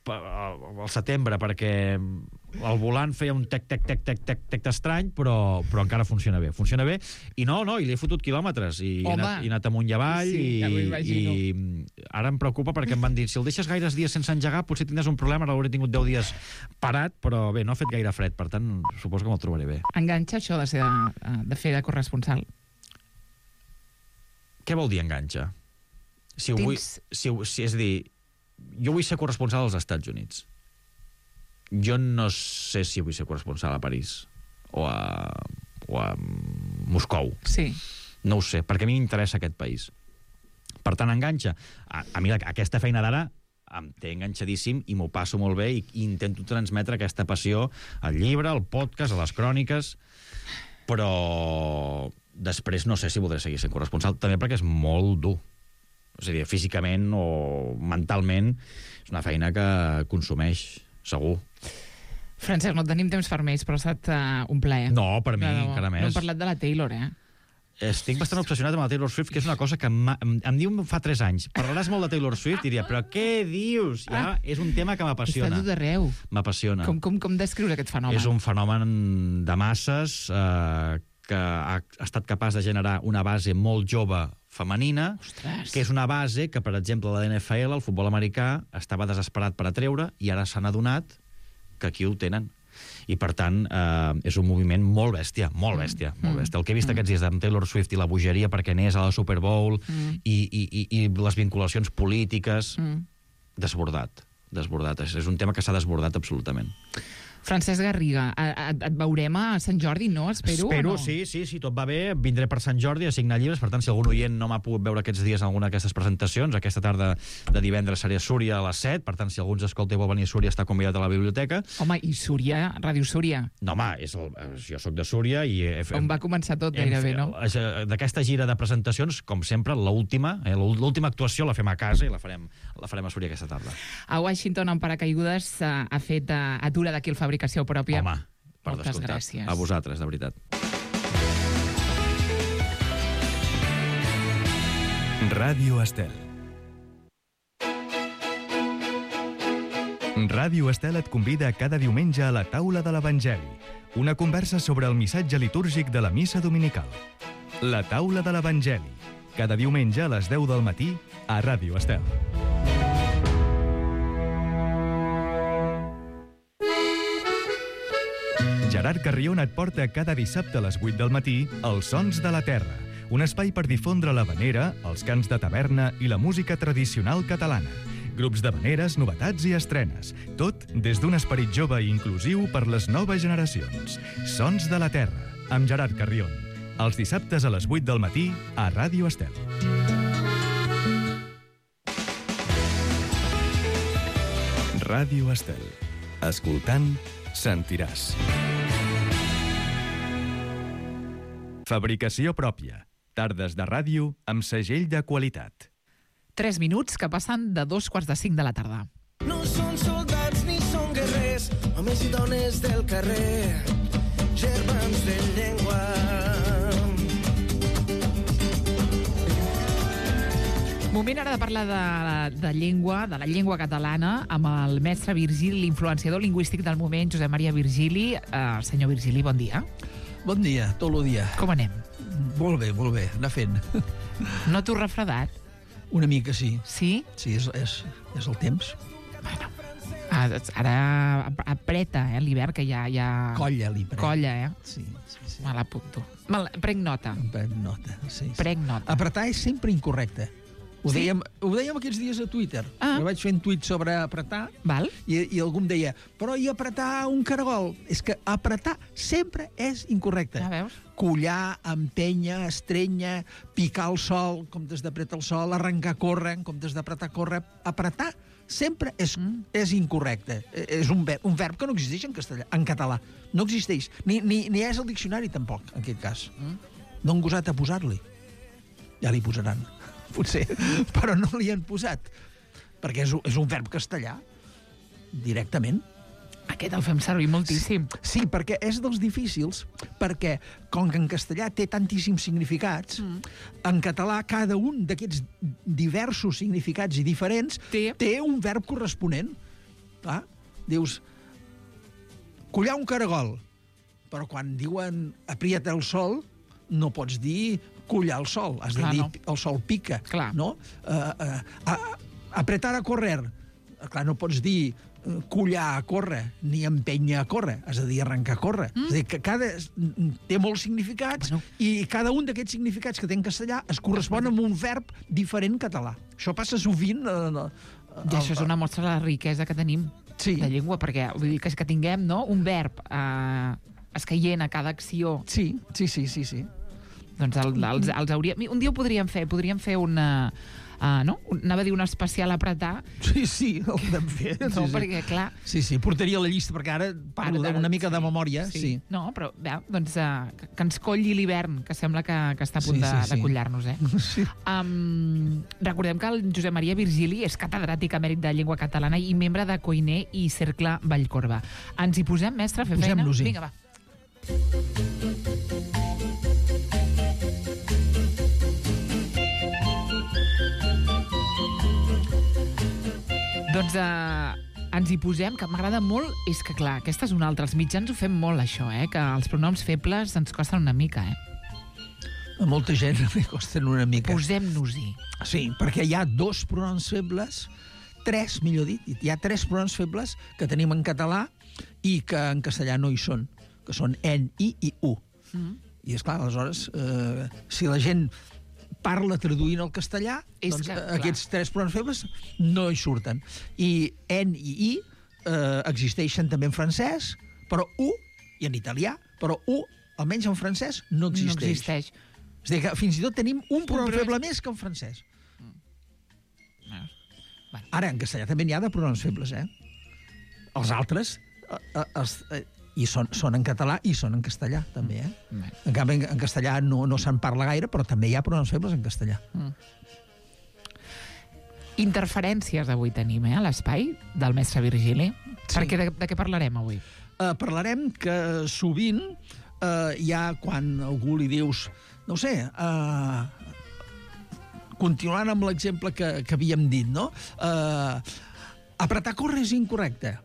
al setembre, perquè el volant feia un tec, tec, tec, tec, tec, tec estrany, però, però encara funciona bé. Funciona bé, i no, no, i li he fotut quilòmetres, i he anat, he anat amunt i avall, sí, i, ja i ara em preocupa perquè em van dir, si el deixes gaires dies sense engegar, potser tindràs un problema, ara l'hauré tingut deu dies parat, però bé, no ha fet gaire fred, per tant, suposo que me'l trobaré bé.
Enganxa això de, ser de, de fer de corresponsal?
Què vol dir enganxa? Si ho vull, si, si, és a dir, jo vull ser corresponsal als Estats Units. Jo no sé si vull ser corresponsal a París o a, o a Moscou.
Sí.
No ho sé, perquè a mi m'interessa aquest país. Per tant, enganxa. A, a mi aquesta feina d'ara em té enganxadíssim i m'ho passo molt bé, i, i intento transmetre aquesta passió al llibre, al podcast, a les cròniques, però després no sé si voldré seguir sent corresponsal, també perquè és molt dur. És a dir, físicament o mentalment és una feina que consumeix, segur.
Francesc, no tenim temps per més, però ha estat uh, un plaer.
No, per mi,
no,
encara més.
No hem parlat de la Taylor, eh?
Estic bastant obsessionat amb la Taylor Swift, que és una cosa que em, em, em diu fa tres anys. Parlaràs molt de Taylor Swift i diria, però què dius? Ja, és un tema que m'apassiona.
Està tot arreu.
M'apassiona.
Com, com, com descriure aquest fenomen?
És un fenomen de masses eh, que ha estat capaç de generar una base molt jove femenina,
Ostres.
que és una base que, per exemple, la N F L, el futbol americà, estava desesperat per atreure i ara s'han adonat que aquí ho tenen. I, per tant, eh, és un moviment molt bèstia, molt bèstia, molt bèstia. El que he vist mm. aquests dies d'en Taylor Swift i la bogeria perquè anés a la Super Bowl mm. i, i, i, i les vinculacions polítiques, mm. desbordat, desbordat. És, és un tema que s'ha desbordat absolutament.
Francesc Garriga, et, et veurem a Sant Jordi, no? Espero,
Espero,
o no?
sí, sí, sí, tot va bé. Vindré per Sant Jordi a signar llibres, per tant, si algun oient no m'ha pogut veure aquests dies en alguna d'aquestes presentacions, aquesta tarda de divendres seré a Súria a les set, per tant, si algú ens escolta i vol venir a Súria, està convidat a la biblioteca.
Home, i Súria, Ràdio Súria?
No, home, és el, jo sóc de Súria i... He,
On va començar tot, gairebé, no?
D'aquesta gira de presentacions, com sempre, l'última, eh, l'última actuació la fem a casa i la farem, la farem a Súria aquesta tarda.
A Washington, en paracaigudes, ha fet uh, atura d'aquí el Fabricació Pròpia.
Home, per
moltes
descomptat.
gràcies.
A vosaltres, de veritat.
Ràdio Estel. Ràdio Estel et convida cada diumenge a la taula de l'Evangeli, una conversa sobre el missatge litúrgic de la missa dominical. La taula de l'Evangeli, cada diumenge a les deu del matí a Ràdio Estel. Gerard Carrion et porta cada dissabte a les vuit del matí Els Sons de la Terra, un espai per difondre l'havanera, els cants de taverna i la música tradicional catalana. Grups d'havaneres, novetats i estrenes. Tot des d'un esperit jove i inclusiu per les noves generacions. Sons de la Terra, amb Gerard Carrion. Els dissabtes a les vuit del matí a Ràdio Estel. Ràdio Estel. Escoltant, sentiràs. Fabricació pròpia. Tardes de ràdio amb segell de qualitat.
Tres minuts que passen de dos quarts de cinc de la tarda.
No són soldats ni són guerrers, homes i dones del carrer, germans de llengua.
Moment ara de parlar de, de llengua, de la llengua catalana, amb el mestre Virgili, l'influenciador lingüístic del moment, Josep Maria Virgili. Uh, senyor Virgili, bon dia.
Bon dia, tot el dia.
Com anem?
Molt bé, molt bé, anar fent.
No t'ho refredat?
Una mica, sí.
Sí?
Sí, és, és, és el temps.
Bueno, ara apreta, eh, l'hivern, que ja... ja...
Colla, li prenc.
Colla, eh?
Sí, sí, sí.
Me l'apunto. Me la... Prenc nota.
Prenc nota, sí. sí.
Prenc nota.
Apretar és sempre incorrecte. Ho,
Sí?
dèiem, ho dèiem aquests dies a Twitter.
Ah.
Jo vaig fent tuit sobre apretar
Val?
i, i algú em deia, però i apretar un caragol? És que apretar sempre és incorrecte.
Ja veus?
Collar, empènyer, estrenya, picar el sol, en comptes d'apretar el sol, arrencar a córrer, en comptes d'apretar a córrer. Apretar sempre és, mm. és incorrecte. És un verb, un verb que no existeix en castellà, en català. No existeix. Ni, ni, ni és el diccionari, tampoc, en aquest cas. Mm. No han gosat a posar-li. Ja li posaran, potser, però no li han posat. Perquè és, és un verb castellà, directament.
Aquest el fem servir moltíssim.
Sí, perquè és dels difícils, perquè com que en castellà té tantíssims significats, mm. en català cada un d'aquests diversos significats i diferents
Té.
té un verb corresponent. Clar, dius, collar un caragol, però quan diuen aprieta el sol, no pots dir collar el sol, has
Clar,
de dir
no.
el sol pica.
Clar.
No? Uh, uh, a, apretar a correr, clar, no pots dir collar a córrer, ni empènyer a córrer, has de dir arrencar a córrer. Mm. És a dir, que cada... té molts significats,
Bueno.
i cada un d'aquests significats que té en castellà es correspon amb un verb diferent català. Això passa sovint... Eh,
I això és una mostra de la riquesa que tenim
Sí.
de llengua, perquè vull dir que, que tinguem, no?, un verb eh, escaient a cada acció.
Sí, sí, sí, sí, sí.
Doncs el, els, els hauria... Un dia ho podríem fer, podríem fer una... uh, no? Anava a dir un especial apretar.
Sí, sí, el vam fer.
No,
sí, sí.
perquè, clar...
Sí, sí, portaria la llista, perquè ara parlo
Ara,
una mica
sí,
de memòria.
Sí.
Sí.
No, però, bé, doncs, uh, que, que ens colli l'hivern, que sembla que, que està a punt
Sí,
de,
sí, sí.
de collar-nos, eh?
Sí.
Um, recordem que el Josep Maria Virgili és catedràtic emèrit de llengua catalana i membre de Coiner i Cercle Vallcorba. Ens hi posem, mestre, a fer feina?
Posem-nos-hi.
Vinga, va. Doncs uh, ens hi posem, que m'agrada molt, és que, clar, aquesta és una altra. Els mitjans ho fem molt, això, eh? Que els pronoms febles ens costen una mica, eh?
A molta gent li costen una mica.
Posem-nos-hi.
Sí, perquè hi ha dos pronoms febles, tres, millor dit, hi ha tres pronoms febles que tenim en català i que en castellà no hi són, que són en, i i u.
Mm.
I, esclar, aleshores, eh, si la gent parla traduint al castellà,
És
doncs
que,
eh,
clar.
aquests tres pronoms febles no hi surten. I en i i eh, existeixen també en francès, però u, i en italià, però u, almenys en francès, no existeix.
No existeix.
És a dir, que fins i tot tenim un pronom
pronom-
feble més que en francès.
Bueno.
Ara, en castellà també n'hi ha de pronoms febles, eh? Els altres eh, eh, els, eh, i són, són en català i són en castellà, també, eh?
Bé.
En canvi, en, en castellà no, no se'n parla gaire, però també hi ha pronoms febles en castellà.
Interferències avui tenim, eh, a l'espai del mestre Virgili.
Sí.
Perquè de, de què parlarem avui?
Eh, parlarem que sovint eh, hi ha quan algú li dius, no ho sé, eh, continuant amb l'exemple que, que havíem dit, no? Eh, apretar córrer és incorrecte.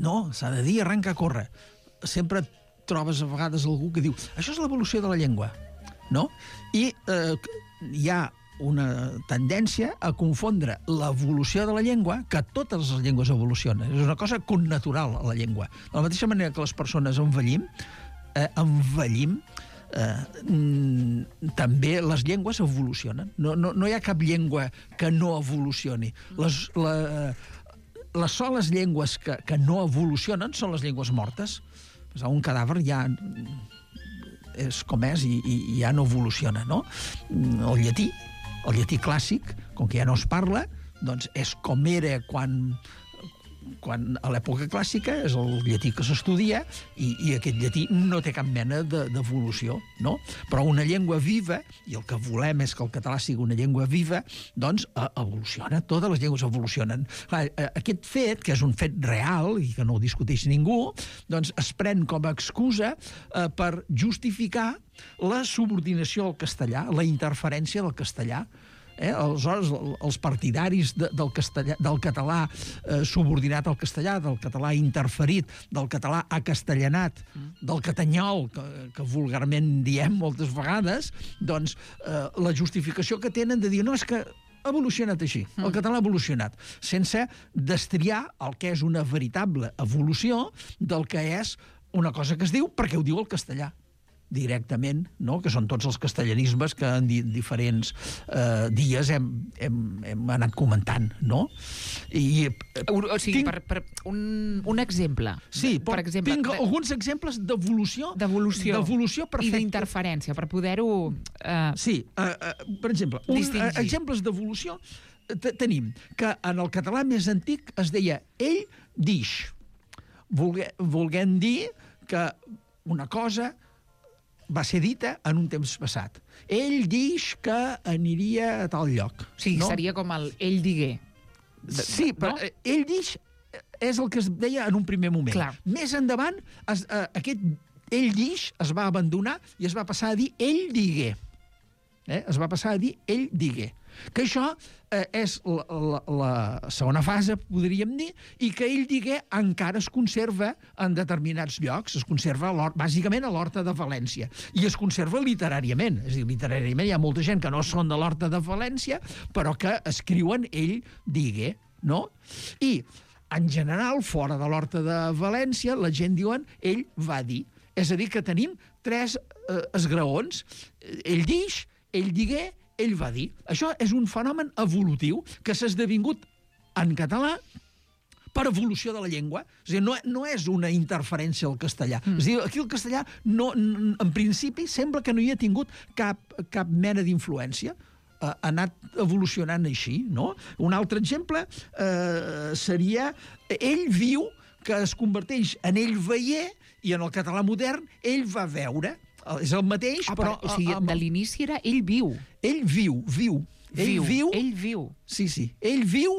No, s'ha de dir arrenca a córrer. Sempre trobes a vegades algú que diu això és l'evolució de la llengua, no? I eh, hi ha una tendència a confondre l'evolució de la llengua, que totes les llengües evolucionen. És una cosa connatural a la llengua. De la mateixa manera que les persones envellim, eh, envellim, eh, mm, també les llengües evolucionen. No, no, no hi ha cap llengua que no evolucioni. Les, la, les soles llengües que, que no evolucionen són les llengües mortes. Un cadàver ja és com és i, i, i ja no evoluciona, no? El llatí, el llatí clàssic, com que ja no es parla, doncs és com era quan, quan a l'època clàssica, és el llatí que s'estudia, i, i aquest llatí no té cap mena d'evolució, no? Però una llengua viva, i el que volem és que el català sigui una llengua viva, doncs evoluciona, totes les llengües evolucionen. Aquest fet, que és un fet real i que no ho discuteix ningú, doncs es pren com a excusa eh, per justificar la subordinació al castellà, la interferència del castellà. Eh? Aleshores, els partidaris de, del, castellà, del català eh, subordinat al castellà, del català interferit, del català acastellanat, del catanyol, que, que vulgarment diem moltes vegades, doncs eh, la justificació que tenen de dir no, és que ha evolucionat així, el català ha evolucionat, sense destriar el que és una veritable evolució del que és una cosa que es diu perquè ho diu el castellà directament, no? Que són tots els castellanismes que en di diferents eh, dies hem, hem, hem anat comentant, no? I, eh,
O, o sigui,
tinc,
per, per un, un exemple.
sí,
per exemple,
tinc
de-
alguns exemples d'evolució
d'evolució
d'evolució
i
perfecta.
d'interferència, per poder-ho... Eh,
Sí, uh, uh, per exemple, un,
Distingir.
uh, exemples d'evolució te- tenim que en el català més antic es deia ell dix, volgue, volguent dir que una cosa va ser dita en un temps passat. Ell dix que aniria a tal lloc.
o sigui,
no?
seria com el ell digué.
Sí, però
no?
no? ell dix és el que es deia en un primer moment.
Clar.
Més endavant, es, uh, aquest ell dix es va abandonar i es va passar a dir ell digué. Eh? Es va passar a dir ell digué. Que això eh, és la, la, la segona fase, podríem dir, i que ell digué encara es conserva en determinats llocs, es conserva a bàsicament a l'Horta de València, i es conserva literàriament. És a dir, literàriament hi ha molta gent que no són de l'Horta de València, però que escriuen ell digué, no? I, en general, fora de l'Horta de València, la gent diuen ell va dir. És a dir, que tenim tres eh, esgraons. Ell dix, ell digué, ell va dir. Això és un fenomen evolutiu que s'ha esdevingut en català per evolució de la llengua. És a dir, no, no és una interferència al castellà. Mm. És a dir, aquí el castellà, no, en principi, sembla que no hi ha tingut cap, cap mena d'influència. ha anat evolucionant així, no? Un altre exemple eh, seria ell viu, que es converteix en ell veier, i en el català modern ell va veure. És el mateix,
ah,
però...
O sigui,
amb...
de l'inici era ell viu.
Ell viu, viu. Ell
viu.
viu...
Ell viu.
Sí, sí. Ell viu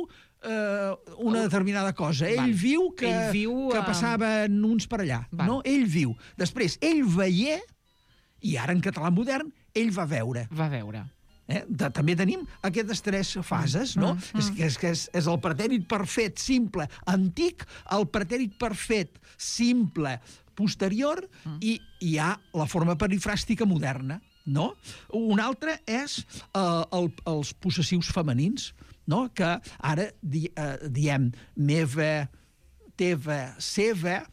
eh, una determinada cosa. Ell
Val.
viu que,
ell viu,
que passaven uns per allà.
Val.
No? Ell viu. Després, ell veier, i ara en català modern, ell va veure.
Va veure.
Eh? De, també tenim aquestes tres fases, no? Mm, mm. És, que, és, que és, és el pretèrit perfet simple antic, el pretèrit perfet simple posterior, mm. i hi ha la forma perifràstica moderna, no? Un altre és eh, el, els possessius femenins, no? Que ara di, eh, diem meva, teva, seva,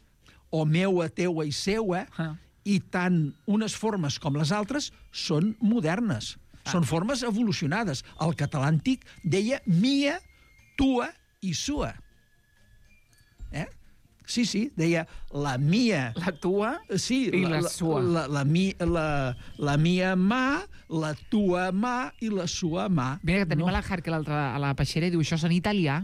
o meua, teua i seua, ah. i tant unes formes com les altres són modernes. Ah. Són formes evolucionades. El català antic deia mia, tua i sua. Eh? Sí, sí, deia la mia...
La tua
sí,
i
la,
la sua.
La, la, la, mi, la, la mia mà, la tua mà i la sua mà.
Mira, que tenim
no?
a la Harker a la peixera i diu això és en italià.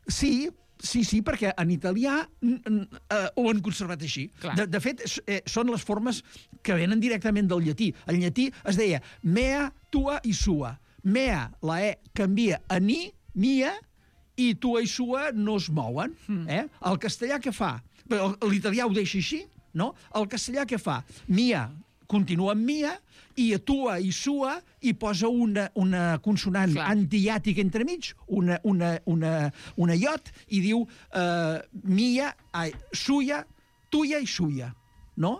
Sí, sí, sí, perquè en italià eh, ho han conservat així. De, de fet, eh, són les formes que venen directament del llatí. En llatí es deia mea, tua i sua. Mea, la e, canvia a ni, mia, i tua i sua no es mouen. Mm. Eh? El castellà què fa? L'italià ho deixa així, no? El castellà què fa? Mia continua amb mia, i a tua i sua hi posa una, una consonant Clar. antihiàtica entremig, una, una, una, una iot, i diu uh, mia, ai, suia, tuia i suia, no?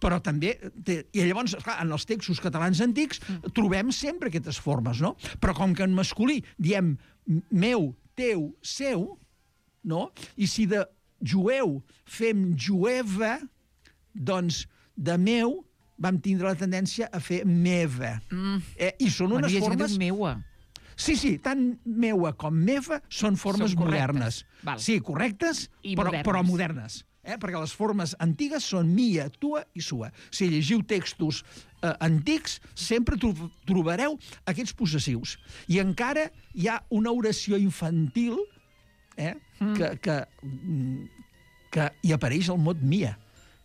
Però també... Té, i llavors, clar, en els textos catalans antics mm. trobem sempre aquestes formes, no? Però com que en masculí diem meu, teu, seu, no? I si de jueu fem jueva, doncs de meu vam tindre la tendència a fer meva. Mm. Eh, I són unes
bueno,
formes...
meua.
Sí, sí, tant meua com meva són formes són modernes.
Val.
Sí, correctes,
I
però
modernes.
Però modernes. Eh? Perquè les formes antigues són mia, tua i sua. Si llegiu textos eh, antics, sempre tro trobareu aquests possessius. I encara hi ha una oració infantil eh, mm. que, que, que hi apareix el mot mia,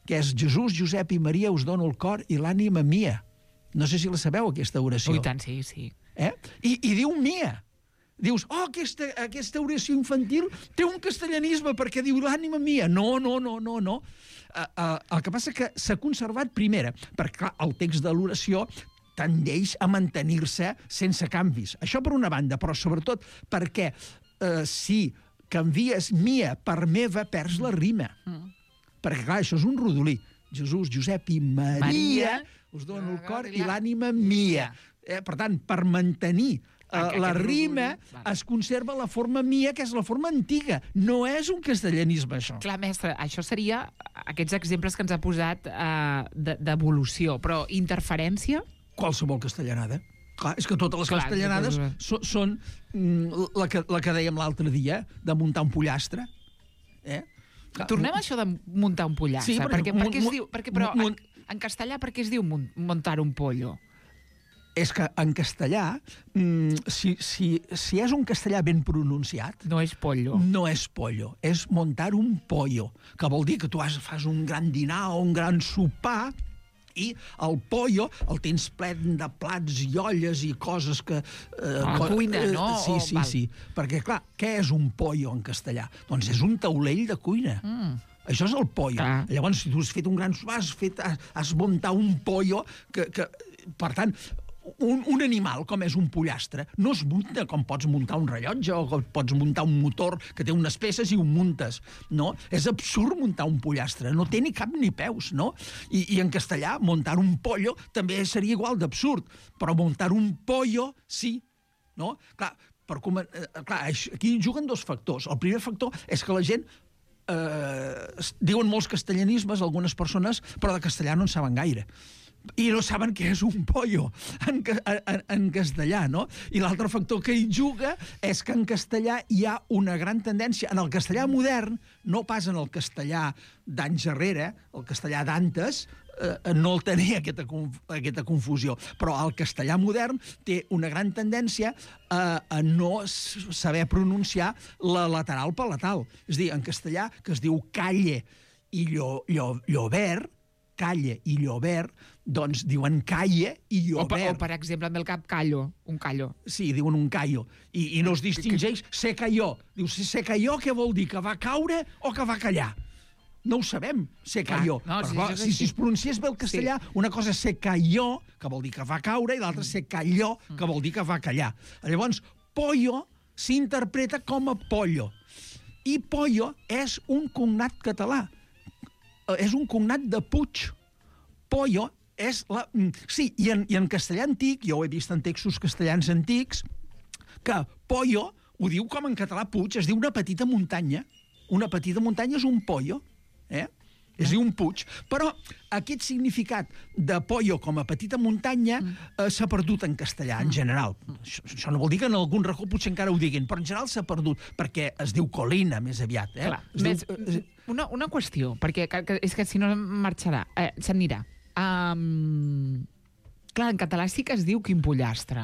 que és Jesús, Josep i Maria us dono el cor i l'ànima mia. No sé si la sabeu, aquesta oració.
Oh, i tant, sí, sí.
Eh? I, I diu mia. Dius, oh, aquesta, aquesta oració infantil té un castellanisme perquè diu l'ànima mia. No, no, no, no, no. Uh, uh, el que passa que s'ha conservat primera, perquè clar, el text de l'oració tendeix a mantenir-se sense canvis. Això per una banda, però sobretot perquè uh, si canvies mia per meva, perds la rima. Mm. Perquè, clar, això és un rodolí. Jesús, Josep i Maria, Maria us dono el cor i l'ànima mia. Eh, per tant, per mantenir uh, la rima, es conserva la forma mia, que és la forma antiga. No és un castellanisme, això.
Clar, mestre, això seria aquests exemples que ens ha posat uh, d'evolució, però interferència?
Qualsevol castellanada. Clar, és que totes les Clar, castellanades so, són mm, la, que, la que dèiem l'altre dia, de muntar un pollastre. Eh?
Tornem a això de muntar un pollastre. Sí, perquè, perquè, perquè es diu, perquè, però en, en castellà per què es diu muntar un pollo?
És que en castellà, si, si, si és un castellà ben pronunciat...
No és pollo.
No és pollo, és montar un pollo, que vol dir que tu has, fas un gran dinar o un gran sopar i el pollo el tens ple de plats i olles i coses que...
Eh, a la cuina, eh, no?
Sí, sí, sí. Perquè, clar, què és un pollo en castellà? Doncs és un taulell de cuina. Mm. Això és el pollo. Ah. Llavors, si tu has fet un gran sopar, has, fet, has, has muntat un pollo que... que per tant, un, un animal com és un pollastre no es munta com pots muntar un rellotge o com pots muntar un motor que té unes peces i ho muntes, no? És absurd muntar un pollastre, no té ni cap ni peus, no? I, i en castellà, muntar un pollo també seria igual d'absurd, però muntar un pollo, sí, no? Clar, per com, eh, clar, aquí juguen dos factors. El primer factor és que la gent eh, diuen molts castellanismes, algunes persones, però de castellà no en saben gaire. I no saben què és un pollo en, en, en castellà, no? I l'altre factor que hi juga és que en castellà hi ha una gran tendència, en el castellà modern, no pas en el castellà d'anys darrere, el castellà d'antes, eh, no el tenia, aquesta, aquesta confusió. Però el castellà modern té una gran tendència a, a no saber pronunciar la lateral palatal. És a dir, en castellà, que es diu calle i llo, llo, llobert, calle i llobert, doncs diuen calle i
O per,
llobert.
o, per exemple, amb el cap callo, un callo.
Sí, diuen un callo. I, i no es distingeix se cayó. Diu, se cayó què vol dir? Que va caure o que va callar? No ho sabem, se cayó.
no,
Però,
sí,
clar,
això és
si, si
així.
es pronunciés bé el castellà, sí. Una cosa és se cayó, que vol dir que va caure, i l'altra se calló, que vol dir que va callar. Llavors, pollo s'interpreta com a pollo. I pollo és un cognat català. És un cognat de Puig. Pollo és la... Sí, i en, i en castellà antic, jo ho he vist en textos castellans antics, que pollo ho diu com en català Puig, es diu una petita muntanya. Una petita muntanya és un pollo, eh? És dir, un puig. Però aquest significat de pollo com a petita muntanya eh, s'ha perdut en castellà, en general. Això, això no vol dir que en algun racó potser encara ho diguin, però en general s'ha perdut, perquè es diu colina, més aviat. Eh?
Clar,
Es
més,
diu,
una, una qüestió, perquè que, que, és que si no marxarà, eh, s'anirà. Um, clar, en català sí que es diu quin pollastre.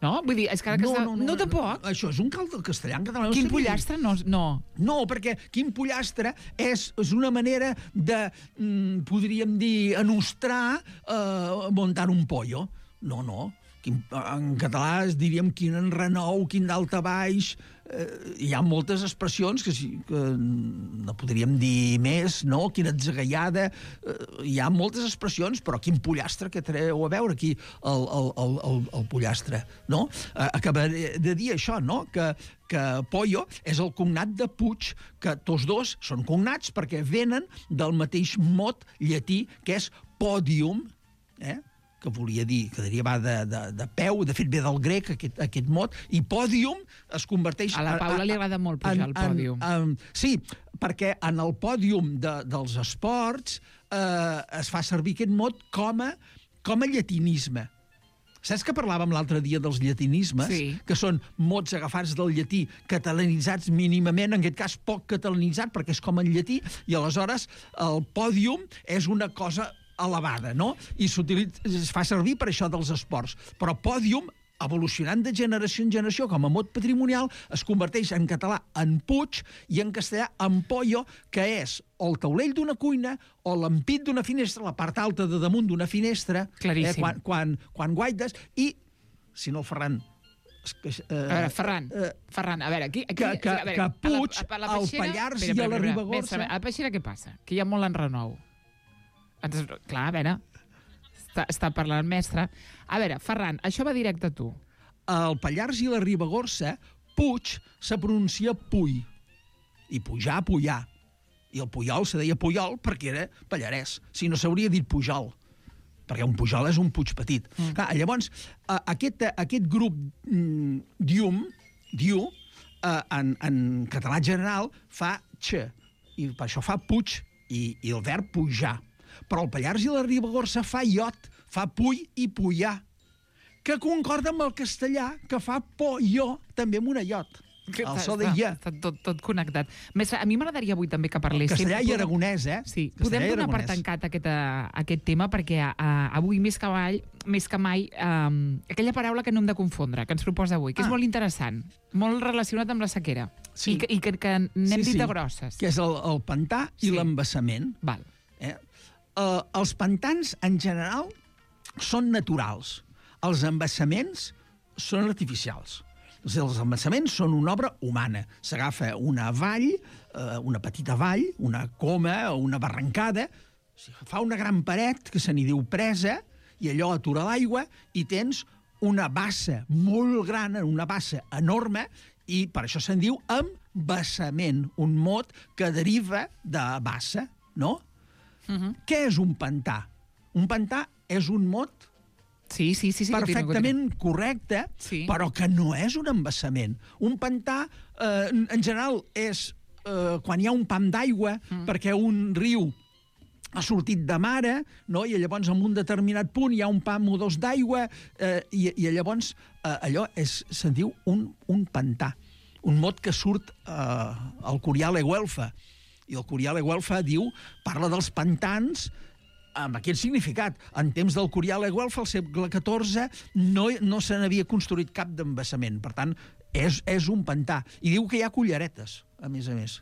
No? Vull dir, és que ara que
no,
està...
no, no,
no tampoc?
Això és un cal del castellà, en català. No
Quin
sé què
pollastre? No, no.
No, perquè quin pollastre és, és una manera de, mm, podríem dir, enostrar, eh, muntar un pollo. No, no. Quin, en català es diríem quin enrenou, quin daltabaix. Eh, hi ha moltes expressions que, sí, que no podríem dir més, no? Quina atzagaiada. Eh, hi ha moltes expressions, però quin pollastre que treu a veure aquí el, el, el, el, el pollastre, no? Eh, acabaré de dir això, no? Que, que pollo és el cognat de Puig, que tots dos són cognats perquè venen del mateix mot llatí, que és podium, eh? Que volia dir, que deriva de, de, de peu, de fet ve del grec, aquest, aquest mot, i pòdium es converteix...
A la Paula li agrada molt pujar al pòdium.
En, en, sí, perquè en el pòdium de, dels esports eh, es fa servir aquest mot com a, com a llatinisme. Saps que parlàvem l'altre dia dels llatinismes?
Sí.
Que són mots agafats del llatí, catalanitzats mínimament, en aquest cas poc catalanitzat, perquè és com en llatí, i aleshores el pòdium és una cosa elevada, no? I es fa servir per això dels esports. Però pòdium, evolucionant de generació en generació com a mot patrimonial, es converteix en català en Puig i en castellà en pollo, que és o el taulell d'una cuina o l'ampit d'una finestra, la part alta de damunt d'una finestra,
Claríssim.
eh, quan, quan, quan guaites, i, si no el Ferran... Eh,
A veure, Ferran,
eh,
Ferran, a veure, aquí... aquí
que, que,
a veure,
que Puig,
a la, a la
al
Peixera-
Pallars
espera,
i a
espera,
la
espera,
Ribagorça...
espera, a la Peixera què passa? Que hi ha molt enrenou. Ens, clar, a veure, està, està parlant el mestre. A veure, Ferran, això va directe a tu.
Al Pallars i la Ribagorça, Puig se pronuncia Puy. I pujar, pujar. I el Puyol se deia Puyol perquè era pallarès. Si no s'hauria dit Pujol, perquè un Pujol és un Puig petit. Mm. Clar, llavors, aquest, aquest grup mm, dium, diu, eh, en, en català general, fa x, i per això fa Puig, i, i el verb pujar. Però el Pallars i la Ribagorça fa iot, fa puy i pujar, que concorda amb el castellà, que fa pollo, també amb una iot. El so de ja.
Està tot, tot connectat. Mestre, a mi m'agradaria avui també que parléssim...
Castellà i aragonès, eh?
Sí,
Castellà
podem
i
donar per
aragonès.
tancat aquest, uh, aquest tema perquè uh, avui més que mai, més que mai um, aquella paraula que no hem de confondre, que ens proposa avui, que
Ah.
és molt interessant, molt relacionat amb la sequera.
Sí.
I que, i que, que n'hem
Sí,
dit
sí.
de grosses.
Que és el, el pantà i
Sí.
l'embassament.
Val.
Eh? Uh, els pantans, en general, són naturals. Els embassaments són artificials. Els embassaments són una obra humana. S'agafa una vall, eh, una petita vall, una coma o una barrancada, fa una gran paret, que se n'hi diu presa, i allò atura l'aigua, i tens una bassa molt gran, una bassa enorme, i per això se'n diu embassament, un mot que deriva de bassa, no?
Uh-huh.
Què és un pantà? Un pantà és un mot
Sí, sí, sí. sí
perfectament correcte,
Sí.
però que no és un embassament. Un pantà, eh, en general, és eh, quan hi ha un pam d'aigua, mm. perquè un riu ha sortit de mare, no? I llavors en un determinat punt hi ha un pam o dos d'aigua, eh, i, i llavors eh, allò és, se'n diu un, un pantà. Un mot que surt eh, al Curial e Güelfa. I el Curial e Güelfa diu, parla dels pantans amb aquest significat. En temps del Curial de Güelfa, al segle catorze, no, no se n'havia construït cap d'embassament. Per tant, és, és un pantà. I diu que hi ha culleretes, a més a més.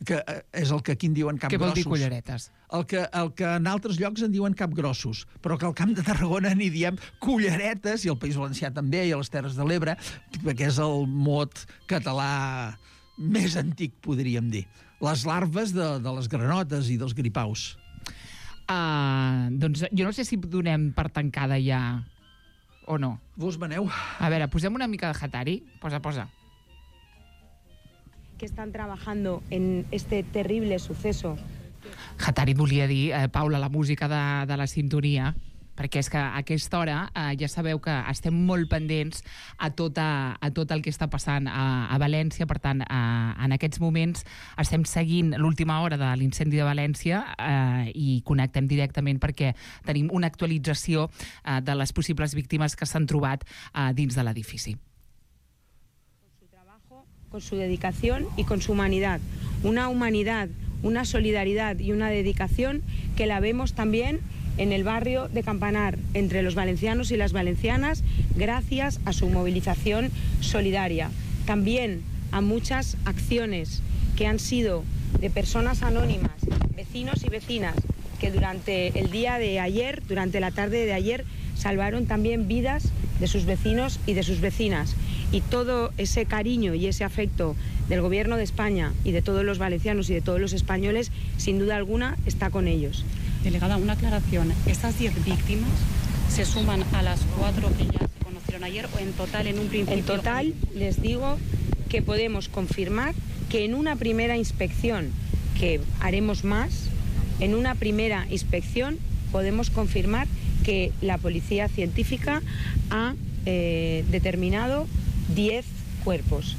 Que és el que aquí en diuen capgrossos.
Què vol dir culleretes?
El que, el que en altres llocs en diuen capgrossos, però que al Camp de Tarragona n'hi diem culleretes, i al País Valencià també, i a les Terres de l'Ebre, que és el mot català més antic, podríem dir. Les larves de, de les granotes i dels gripaus.
Uh, doncs jo no sé si donem per tancada ja o no.
Vos maneu.
A veure, posem una mica de Hatari. Posa, posa.
Que están trabajando en este terrible suceso.
Hatari volia dir, eh, Paula, la música de, de la sintonia, perquè és que a aquesta hora eh, ja sabeu que estem molt pendents a tot, a, a tot el que està passant a, a València. Per tant, eh, en aquests moments estem seguint l'última hora de l'incendi de València eh, i connectem directament perquè tenim una actualització eh, de les possibles víctimes que s'han trobat eh, dins de l'edifici.
Con su dedicación y con su humanidad. Una humanidad, una solidaridad y una dedicación que la vemos también en el barrio de Campanar, entre los valencianos y las valencianas, gracias a su movilización solidaria. También a muchas acciones que han sido de personas anónimas, vecinos y vecinas, que durante el día de ayer, durante la tarde de ayer, salvaron también vidas de sus vecinos y de sus vecinas. Y todo ese cariño y ese afecto del Gobierno de España y de todos los valencianos y de todos los españoles, sin duda alguna, está con ellos.
Delegada, una aclaración. ¿Estas diez víctimas se suman a las cuatro que ya se conocieron ayer o en total en un principio?
En total, les digo que podemos confirmar que en una primera inspección, que haremos más, en una primera inspección podemos confirmar que la policía científica ha eh, determinado diez cuerpos,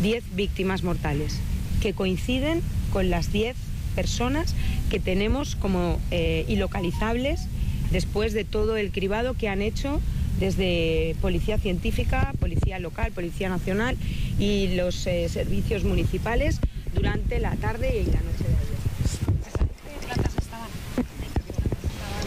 diez víctimas mortales, que coinciden con las diez personas que tenemos como eh, ilocalizables después de todo el cribado que han hecho desde Policía Científica, Policía Local, Policía Nacional y los eh, servicios municipales durante la tarde y la noche de ayer.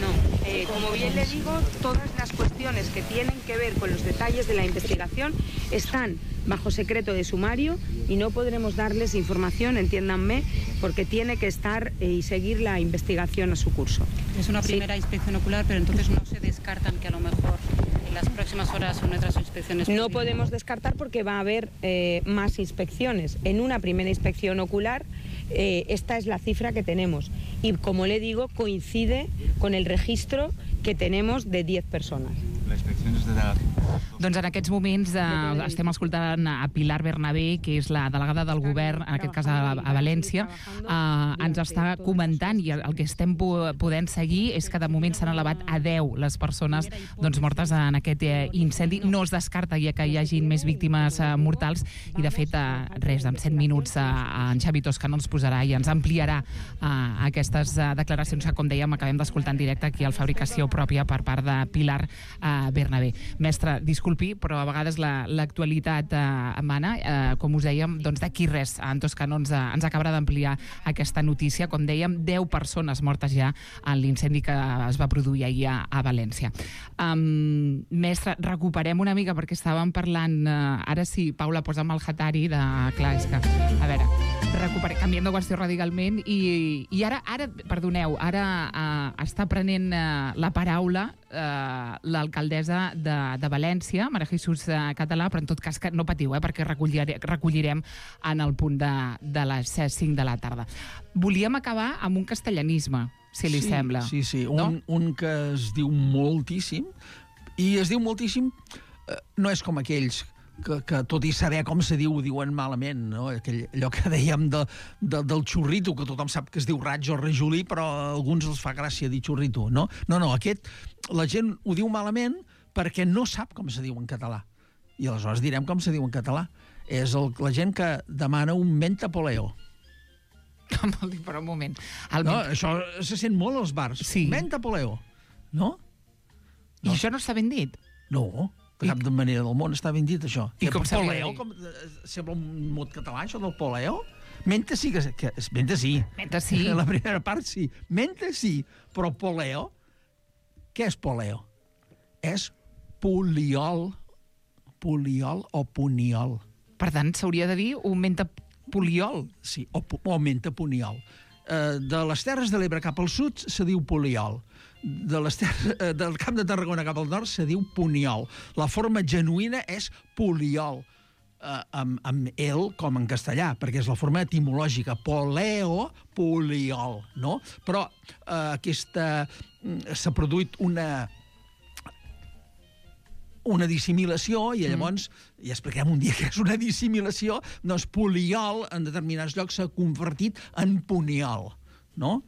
No, eh, como bien le digo, todas las cuestiones que tienen que ver con los detalles de la investigación están bajo secreto de sumario y no podremos darles información, entiéndanme, porque tiene que estar eh, y seguir la investigación a su curso.
Es una primera sí. inspección ocular, pero entonces no se descartan que a lo mejor en las próximas horas son otras inspecciones.
No podemos descartar porque va a haber eh, más inspecciones. En una primera inspección ocular, eh, esta es la cifra que tenemos. Y como le digo, coincide con el registro que tenemos de diez personas.
La inspecció és de...
Doncs en aquests moments eh, estem escoltant a Pilar Bernabé, que és la delegada del govern, en aquest cas a, a València, eh, ens està comentant, i el que estem podent seguir és que de moment s'han elevat a deu les persones doncs, mortes en aquest eh, incendi. No es descarta ja que hi hagin més víctimes eh, mortals, i de fet, eh, res, en set minuts eh, en Xavi Toscano ens posarà i ens ampliarà eh, aquestes eh, declaracions que, com dèiem, acabem d'escoltar en directe aquí al Fabricació Pròpia per part de Pilar eh, Bernabé. Mestre, disculpi, però a vegades l'actualitat la, eh, mana, eh, com us dèiem, doncs d'aquí res, en Toscano ens, ens acabarà d'ampliar aquesta notícia. Com dèiem, deu persones mortes ja en l'incendi que es va produir ahir a, a València. Um, mestre, recuperem una mica, perquè estàvem parlant, eh, ara sí, Paula, posa'm el Hatari de... Clar, és que, a veure, recuperem, canviem de qüestió radicalment, i, i ara, ara, perdoneu, ara eh, està prenent eh, la paraula eh, l'alcaldessa de, de València, Maria Jesús Català, però en tot cas que no patiu, eh, perquè recollirem, recollirem en el punt de, de les cinc de la tarda. Volíem acabar amb un castellanisme, si li
sí,
sembla.
Sí, sí,
no?
un, un que es diu moltíssim, i es diu moltíssim, eh, no és com aquells que, que tot i saber com se diu, diuen malament, no? Aquell, allò que dèiem de, de, del xurrito, que tothom sap que es diu raig o rajolí, però a alguns els fa gràcia dir xurrito, no? No, no, aquest, la gent ho diu malament perquè no sap com se diu en català. I aleshores direm com se diu en català. És el, la gent que demana un mentapoleo.
Com vol dir, per un moment. El
no,
ment...
això se sent molt als bars.
Sí.
Mentapoleo. No?
I no. Això no està ben dit?
No, de cap I... manera del món està ben dit, això.
I com
poleo,
dir?
com, sembla un mot català, això del poleo. Menta sí que... que menta sí.
Menta sí.
La primera part sí. Menta sí, però poleo... Què és poleo? És poliol. Poliol o puniol.
Per tant, s'hauria de dir un menta poliol.
Sí, o, o menta puniol. Uh, de les Terres de l'Ebre cap al sud se diu poliol. De les terres, uh, del Camp de Tarragona cap al nord se diu puniol. La forma genuïna és poliol, uh, amb, amb el com en castellà, perquè és la forma etimològica. Poleo, poliol, no? Però uh, aquesta... s'ha produït una... una dissimulació, i llavors, mm. ja expliquem un dia que és una dissimulació, doncs poliol en determinats llocs s'ha convertit en puniol, no?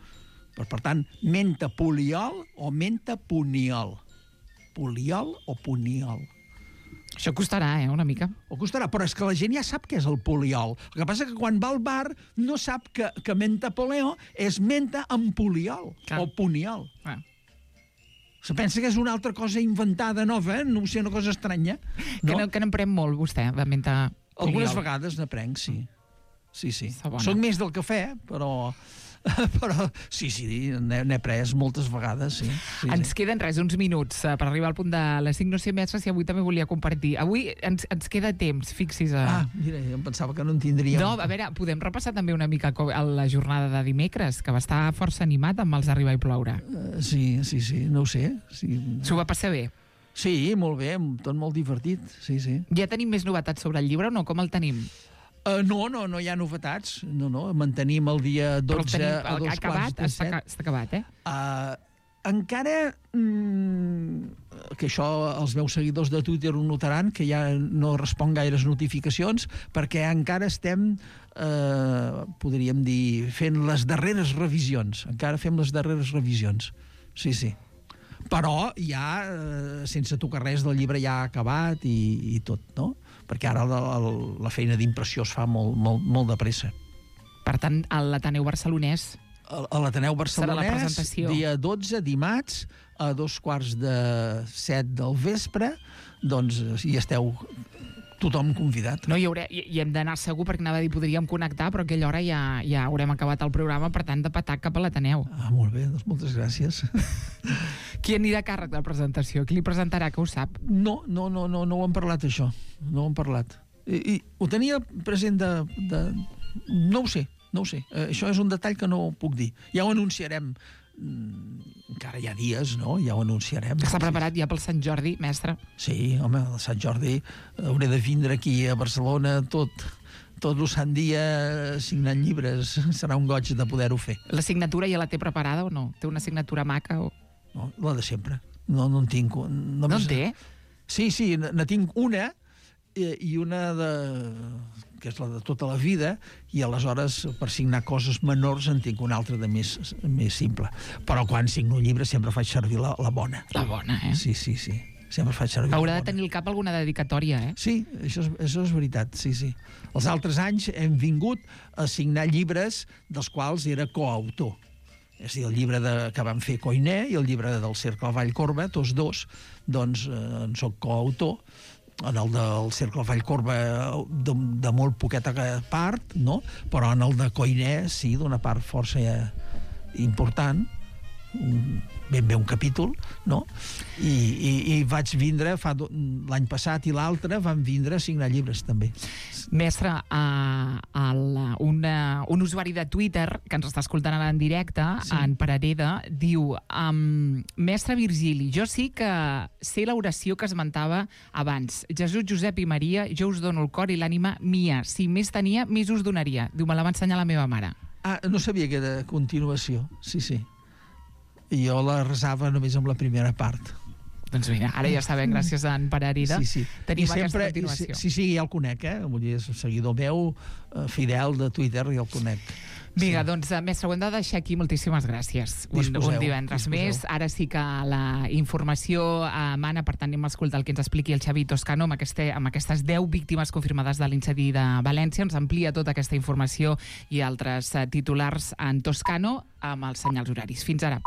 Per, per tant, menta poliol o menta puniol. Poliol o puniol.
Això costarà, eh, una mica.
O costarà, però és que la gent ja sap què és el poliol. El que passa que quan va al bar no sap que, que menta poleo és menta amb poliol, clar, o puniol.
Ah.
Se pensa que és una altra cosa inventada, nova, eh? No sé, una cosa estranya. No?
Que, no, que n'emprem molt, vostè, de menta poliol.
Algunes vegades n'aprenc, sí. Sí, sí. Soc més del cafè, però... però sí, sí, n'he pres moltes vegades, sí. sí
ens
sí.
queden res, uns minuts per arribar al punt de les cinc. No sé, mestre, si avui també volia compartir. Avui ens, ens queda temps, fixis. A...
Ah, mira, em pensava que no en tindríem.
No, a veure, podem repassar també una mica a la jornada de dimecres, que va estar força animat amb els Arribar i ploure.
Uh, sí, sí, sí, no ho sé. Sí.
S'ho va passar bé?
Sí, molt bé, tot molt divertit, sí, sí.
Ja tenim més novetats sobre el llibre o no? Com el tenim?
Uh, no, no, no hi ha novetats. No, no, mantenim el dia dotze
tenim, el,
a dos
acabat,
quarts de set.
Està, està acabat, eh?
Uh, encara, mm, que això els meus seguidors de Twitter ho notaran, que ja no respon gaires notificacions, perquè encara estem, uh, podríem dir, fent les darreres revisions. Encara fem les darreres revisions. Sí, sí. Però ja, eh, sense tocar res del llibre, ja ha acabat i, i tot, no? Perquè ara la, la feina d'impressió es fa molt, molt, molt de pressa.
Per tant, a l'Ateneu Barcelonès...
A l'Ateneu Barcelonès, dia dotze, dimarts, a dos quarts de set del vespre, doncs hi esteu tothom convidat.
No, hi, hauré, hi, hi hem d'anar segur, perquè anava a dir, podríem connectar, però a aquella hora ja, ja haurem acabat el programa, per tant, de petar cap a l'Ateneu.
Ah, molt bé, doncs moltes gràcies.
Qui anirà a càrrec de la presentació? Qui li presentarà, que ho sap?
No, no, no, no, no ho hem parlat, això. No ho hem parlat. I, i ho tenia present de, de... No ho sé, no ho sé. Eh, això és un detall que no puc dir. Ja ho anunciarem. Encara hi ha dies, no? Ja ho anunciarem.
Està preparat ja pel Sant Jordi, mestre?
Sí, home, el Sant Jordi hauré de vindre aquí a Barcelona tot... tot el sant dia signant llibres. Serà un goig de poder-ho fer.
La signatura ja la té preparada o no? Té una signatura maca o...
No, la de sempre. No, no en tinc.
No en té?
Sí, sí, ne tinc una i una de... que és la de tota la vida, i aleshores per signar coses menors en tinc una altra de més, més simple. Però quan signo un llibre sempre faig servir la, la bona.
La bona, eh?
Sí, sí, sí. Sempre faig servir
Haurà
la bona.
de tenir al cap alguna dedicatòria, eh?
Sí, això és, això és veritat, sí, sí. Els altres anys hem vingut a signar llibres dels quals era coautor. És a dir, el llibre de, que vam fer Coiné i el llibre del Cercle Vallcorba, tots dos, doncs eh, en soc coautor. En el del Cercle Vallcorba de, de molt poqueta part, no? Però en el de Coiné sí, d'una part força important, ben bé un capítol, no? I, i, i vaig vindre, fa l'any passat i l'altre, van vindre a signar llibres, també.
Mestre, uh, el, una, un usuari de Twitter que ens està escoltant ara en directe, sí. En Parareda, diu um, Mestre Virgili, jo sí que sé l'oració que esmentava abans. Jesús, Josep i Maria, jo us dono el cor i l'ànima mia. Si més tenia, més us donaria. Diu, me la va ensenyar la meva mare.
Ah, no sabia que era continuació. Sí, sí. I jo la resava només amb la primera part.
Doncs mira, ara ja sabem, gràcies a en Pararida,
sí, sí.
tenim
sempre,
aquesta continuació.
Sí, sí, ja el conec, eh? Vull dir, és un seguidor meu, fidel de Twitter, i el conec.
Vinga,
sí.
Doncs, mestre, ho hem de deixar aquí. Moltíssimes gràcies. Un, un divendres disposeu. Més. Ara sí que la informació emana, per tant, anem a escoltar el que ens expliqui el Xavi Toscano amb, aquesta, amb aquestes deu víctimes confirmades de l'incendi de València. Ens amplia tota aquesta informació i altres titulars en Toscano amb els senyals horaris. Fins ara.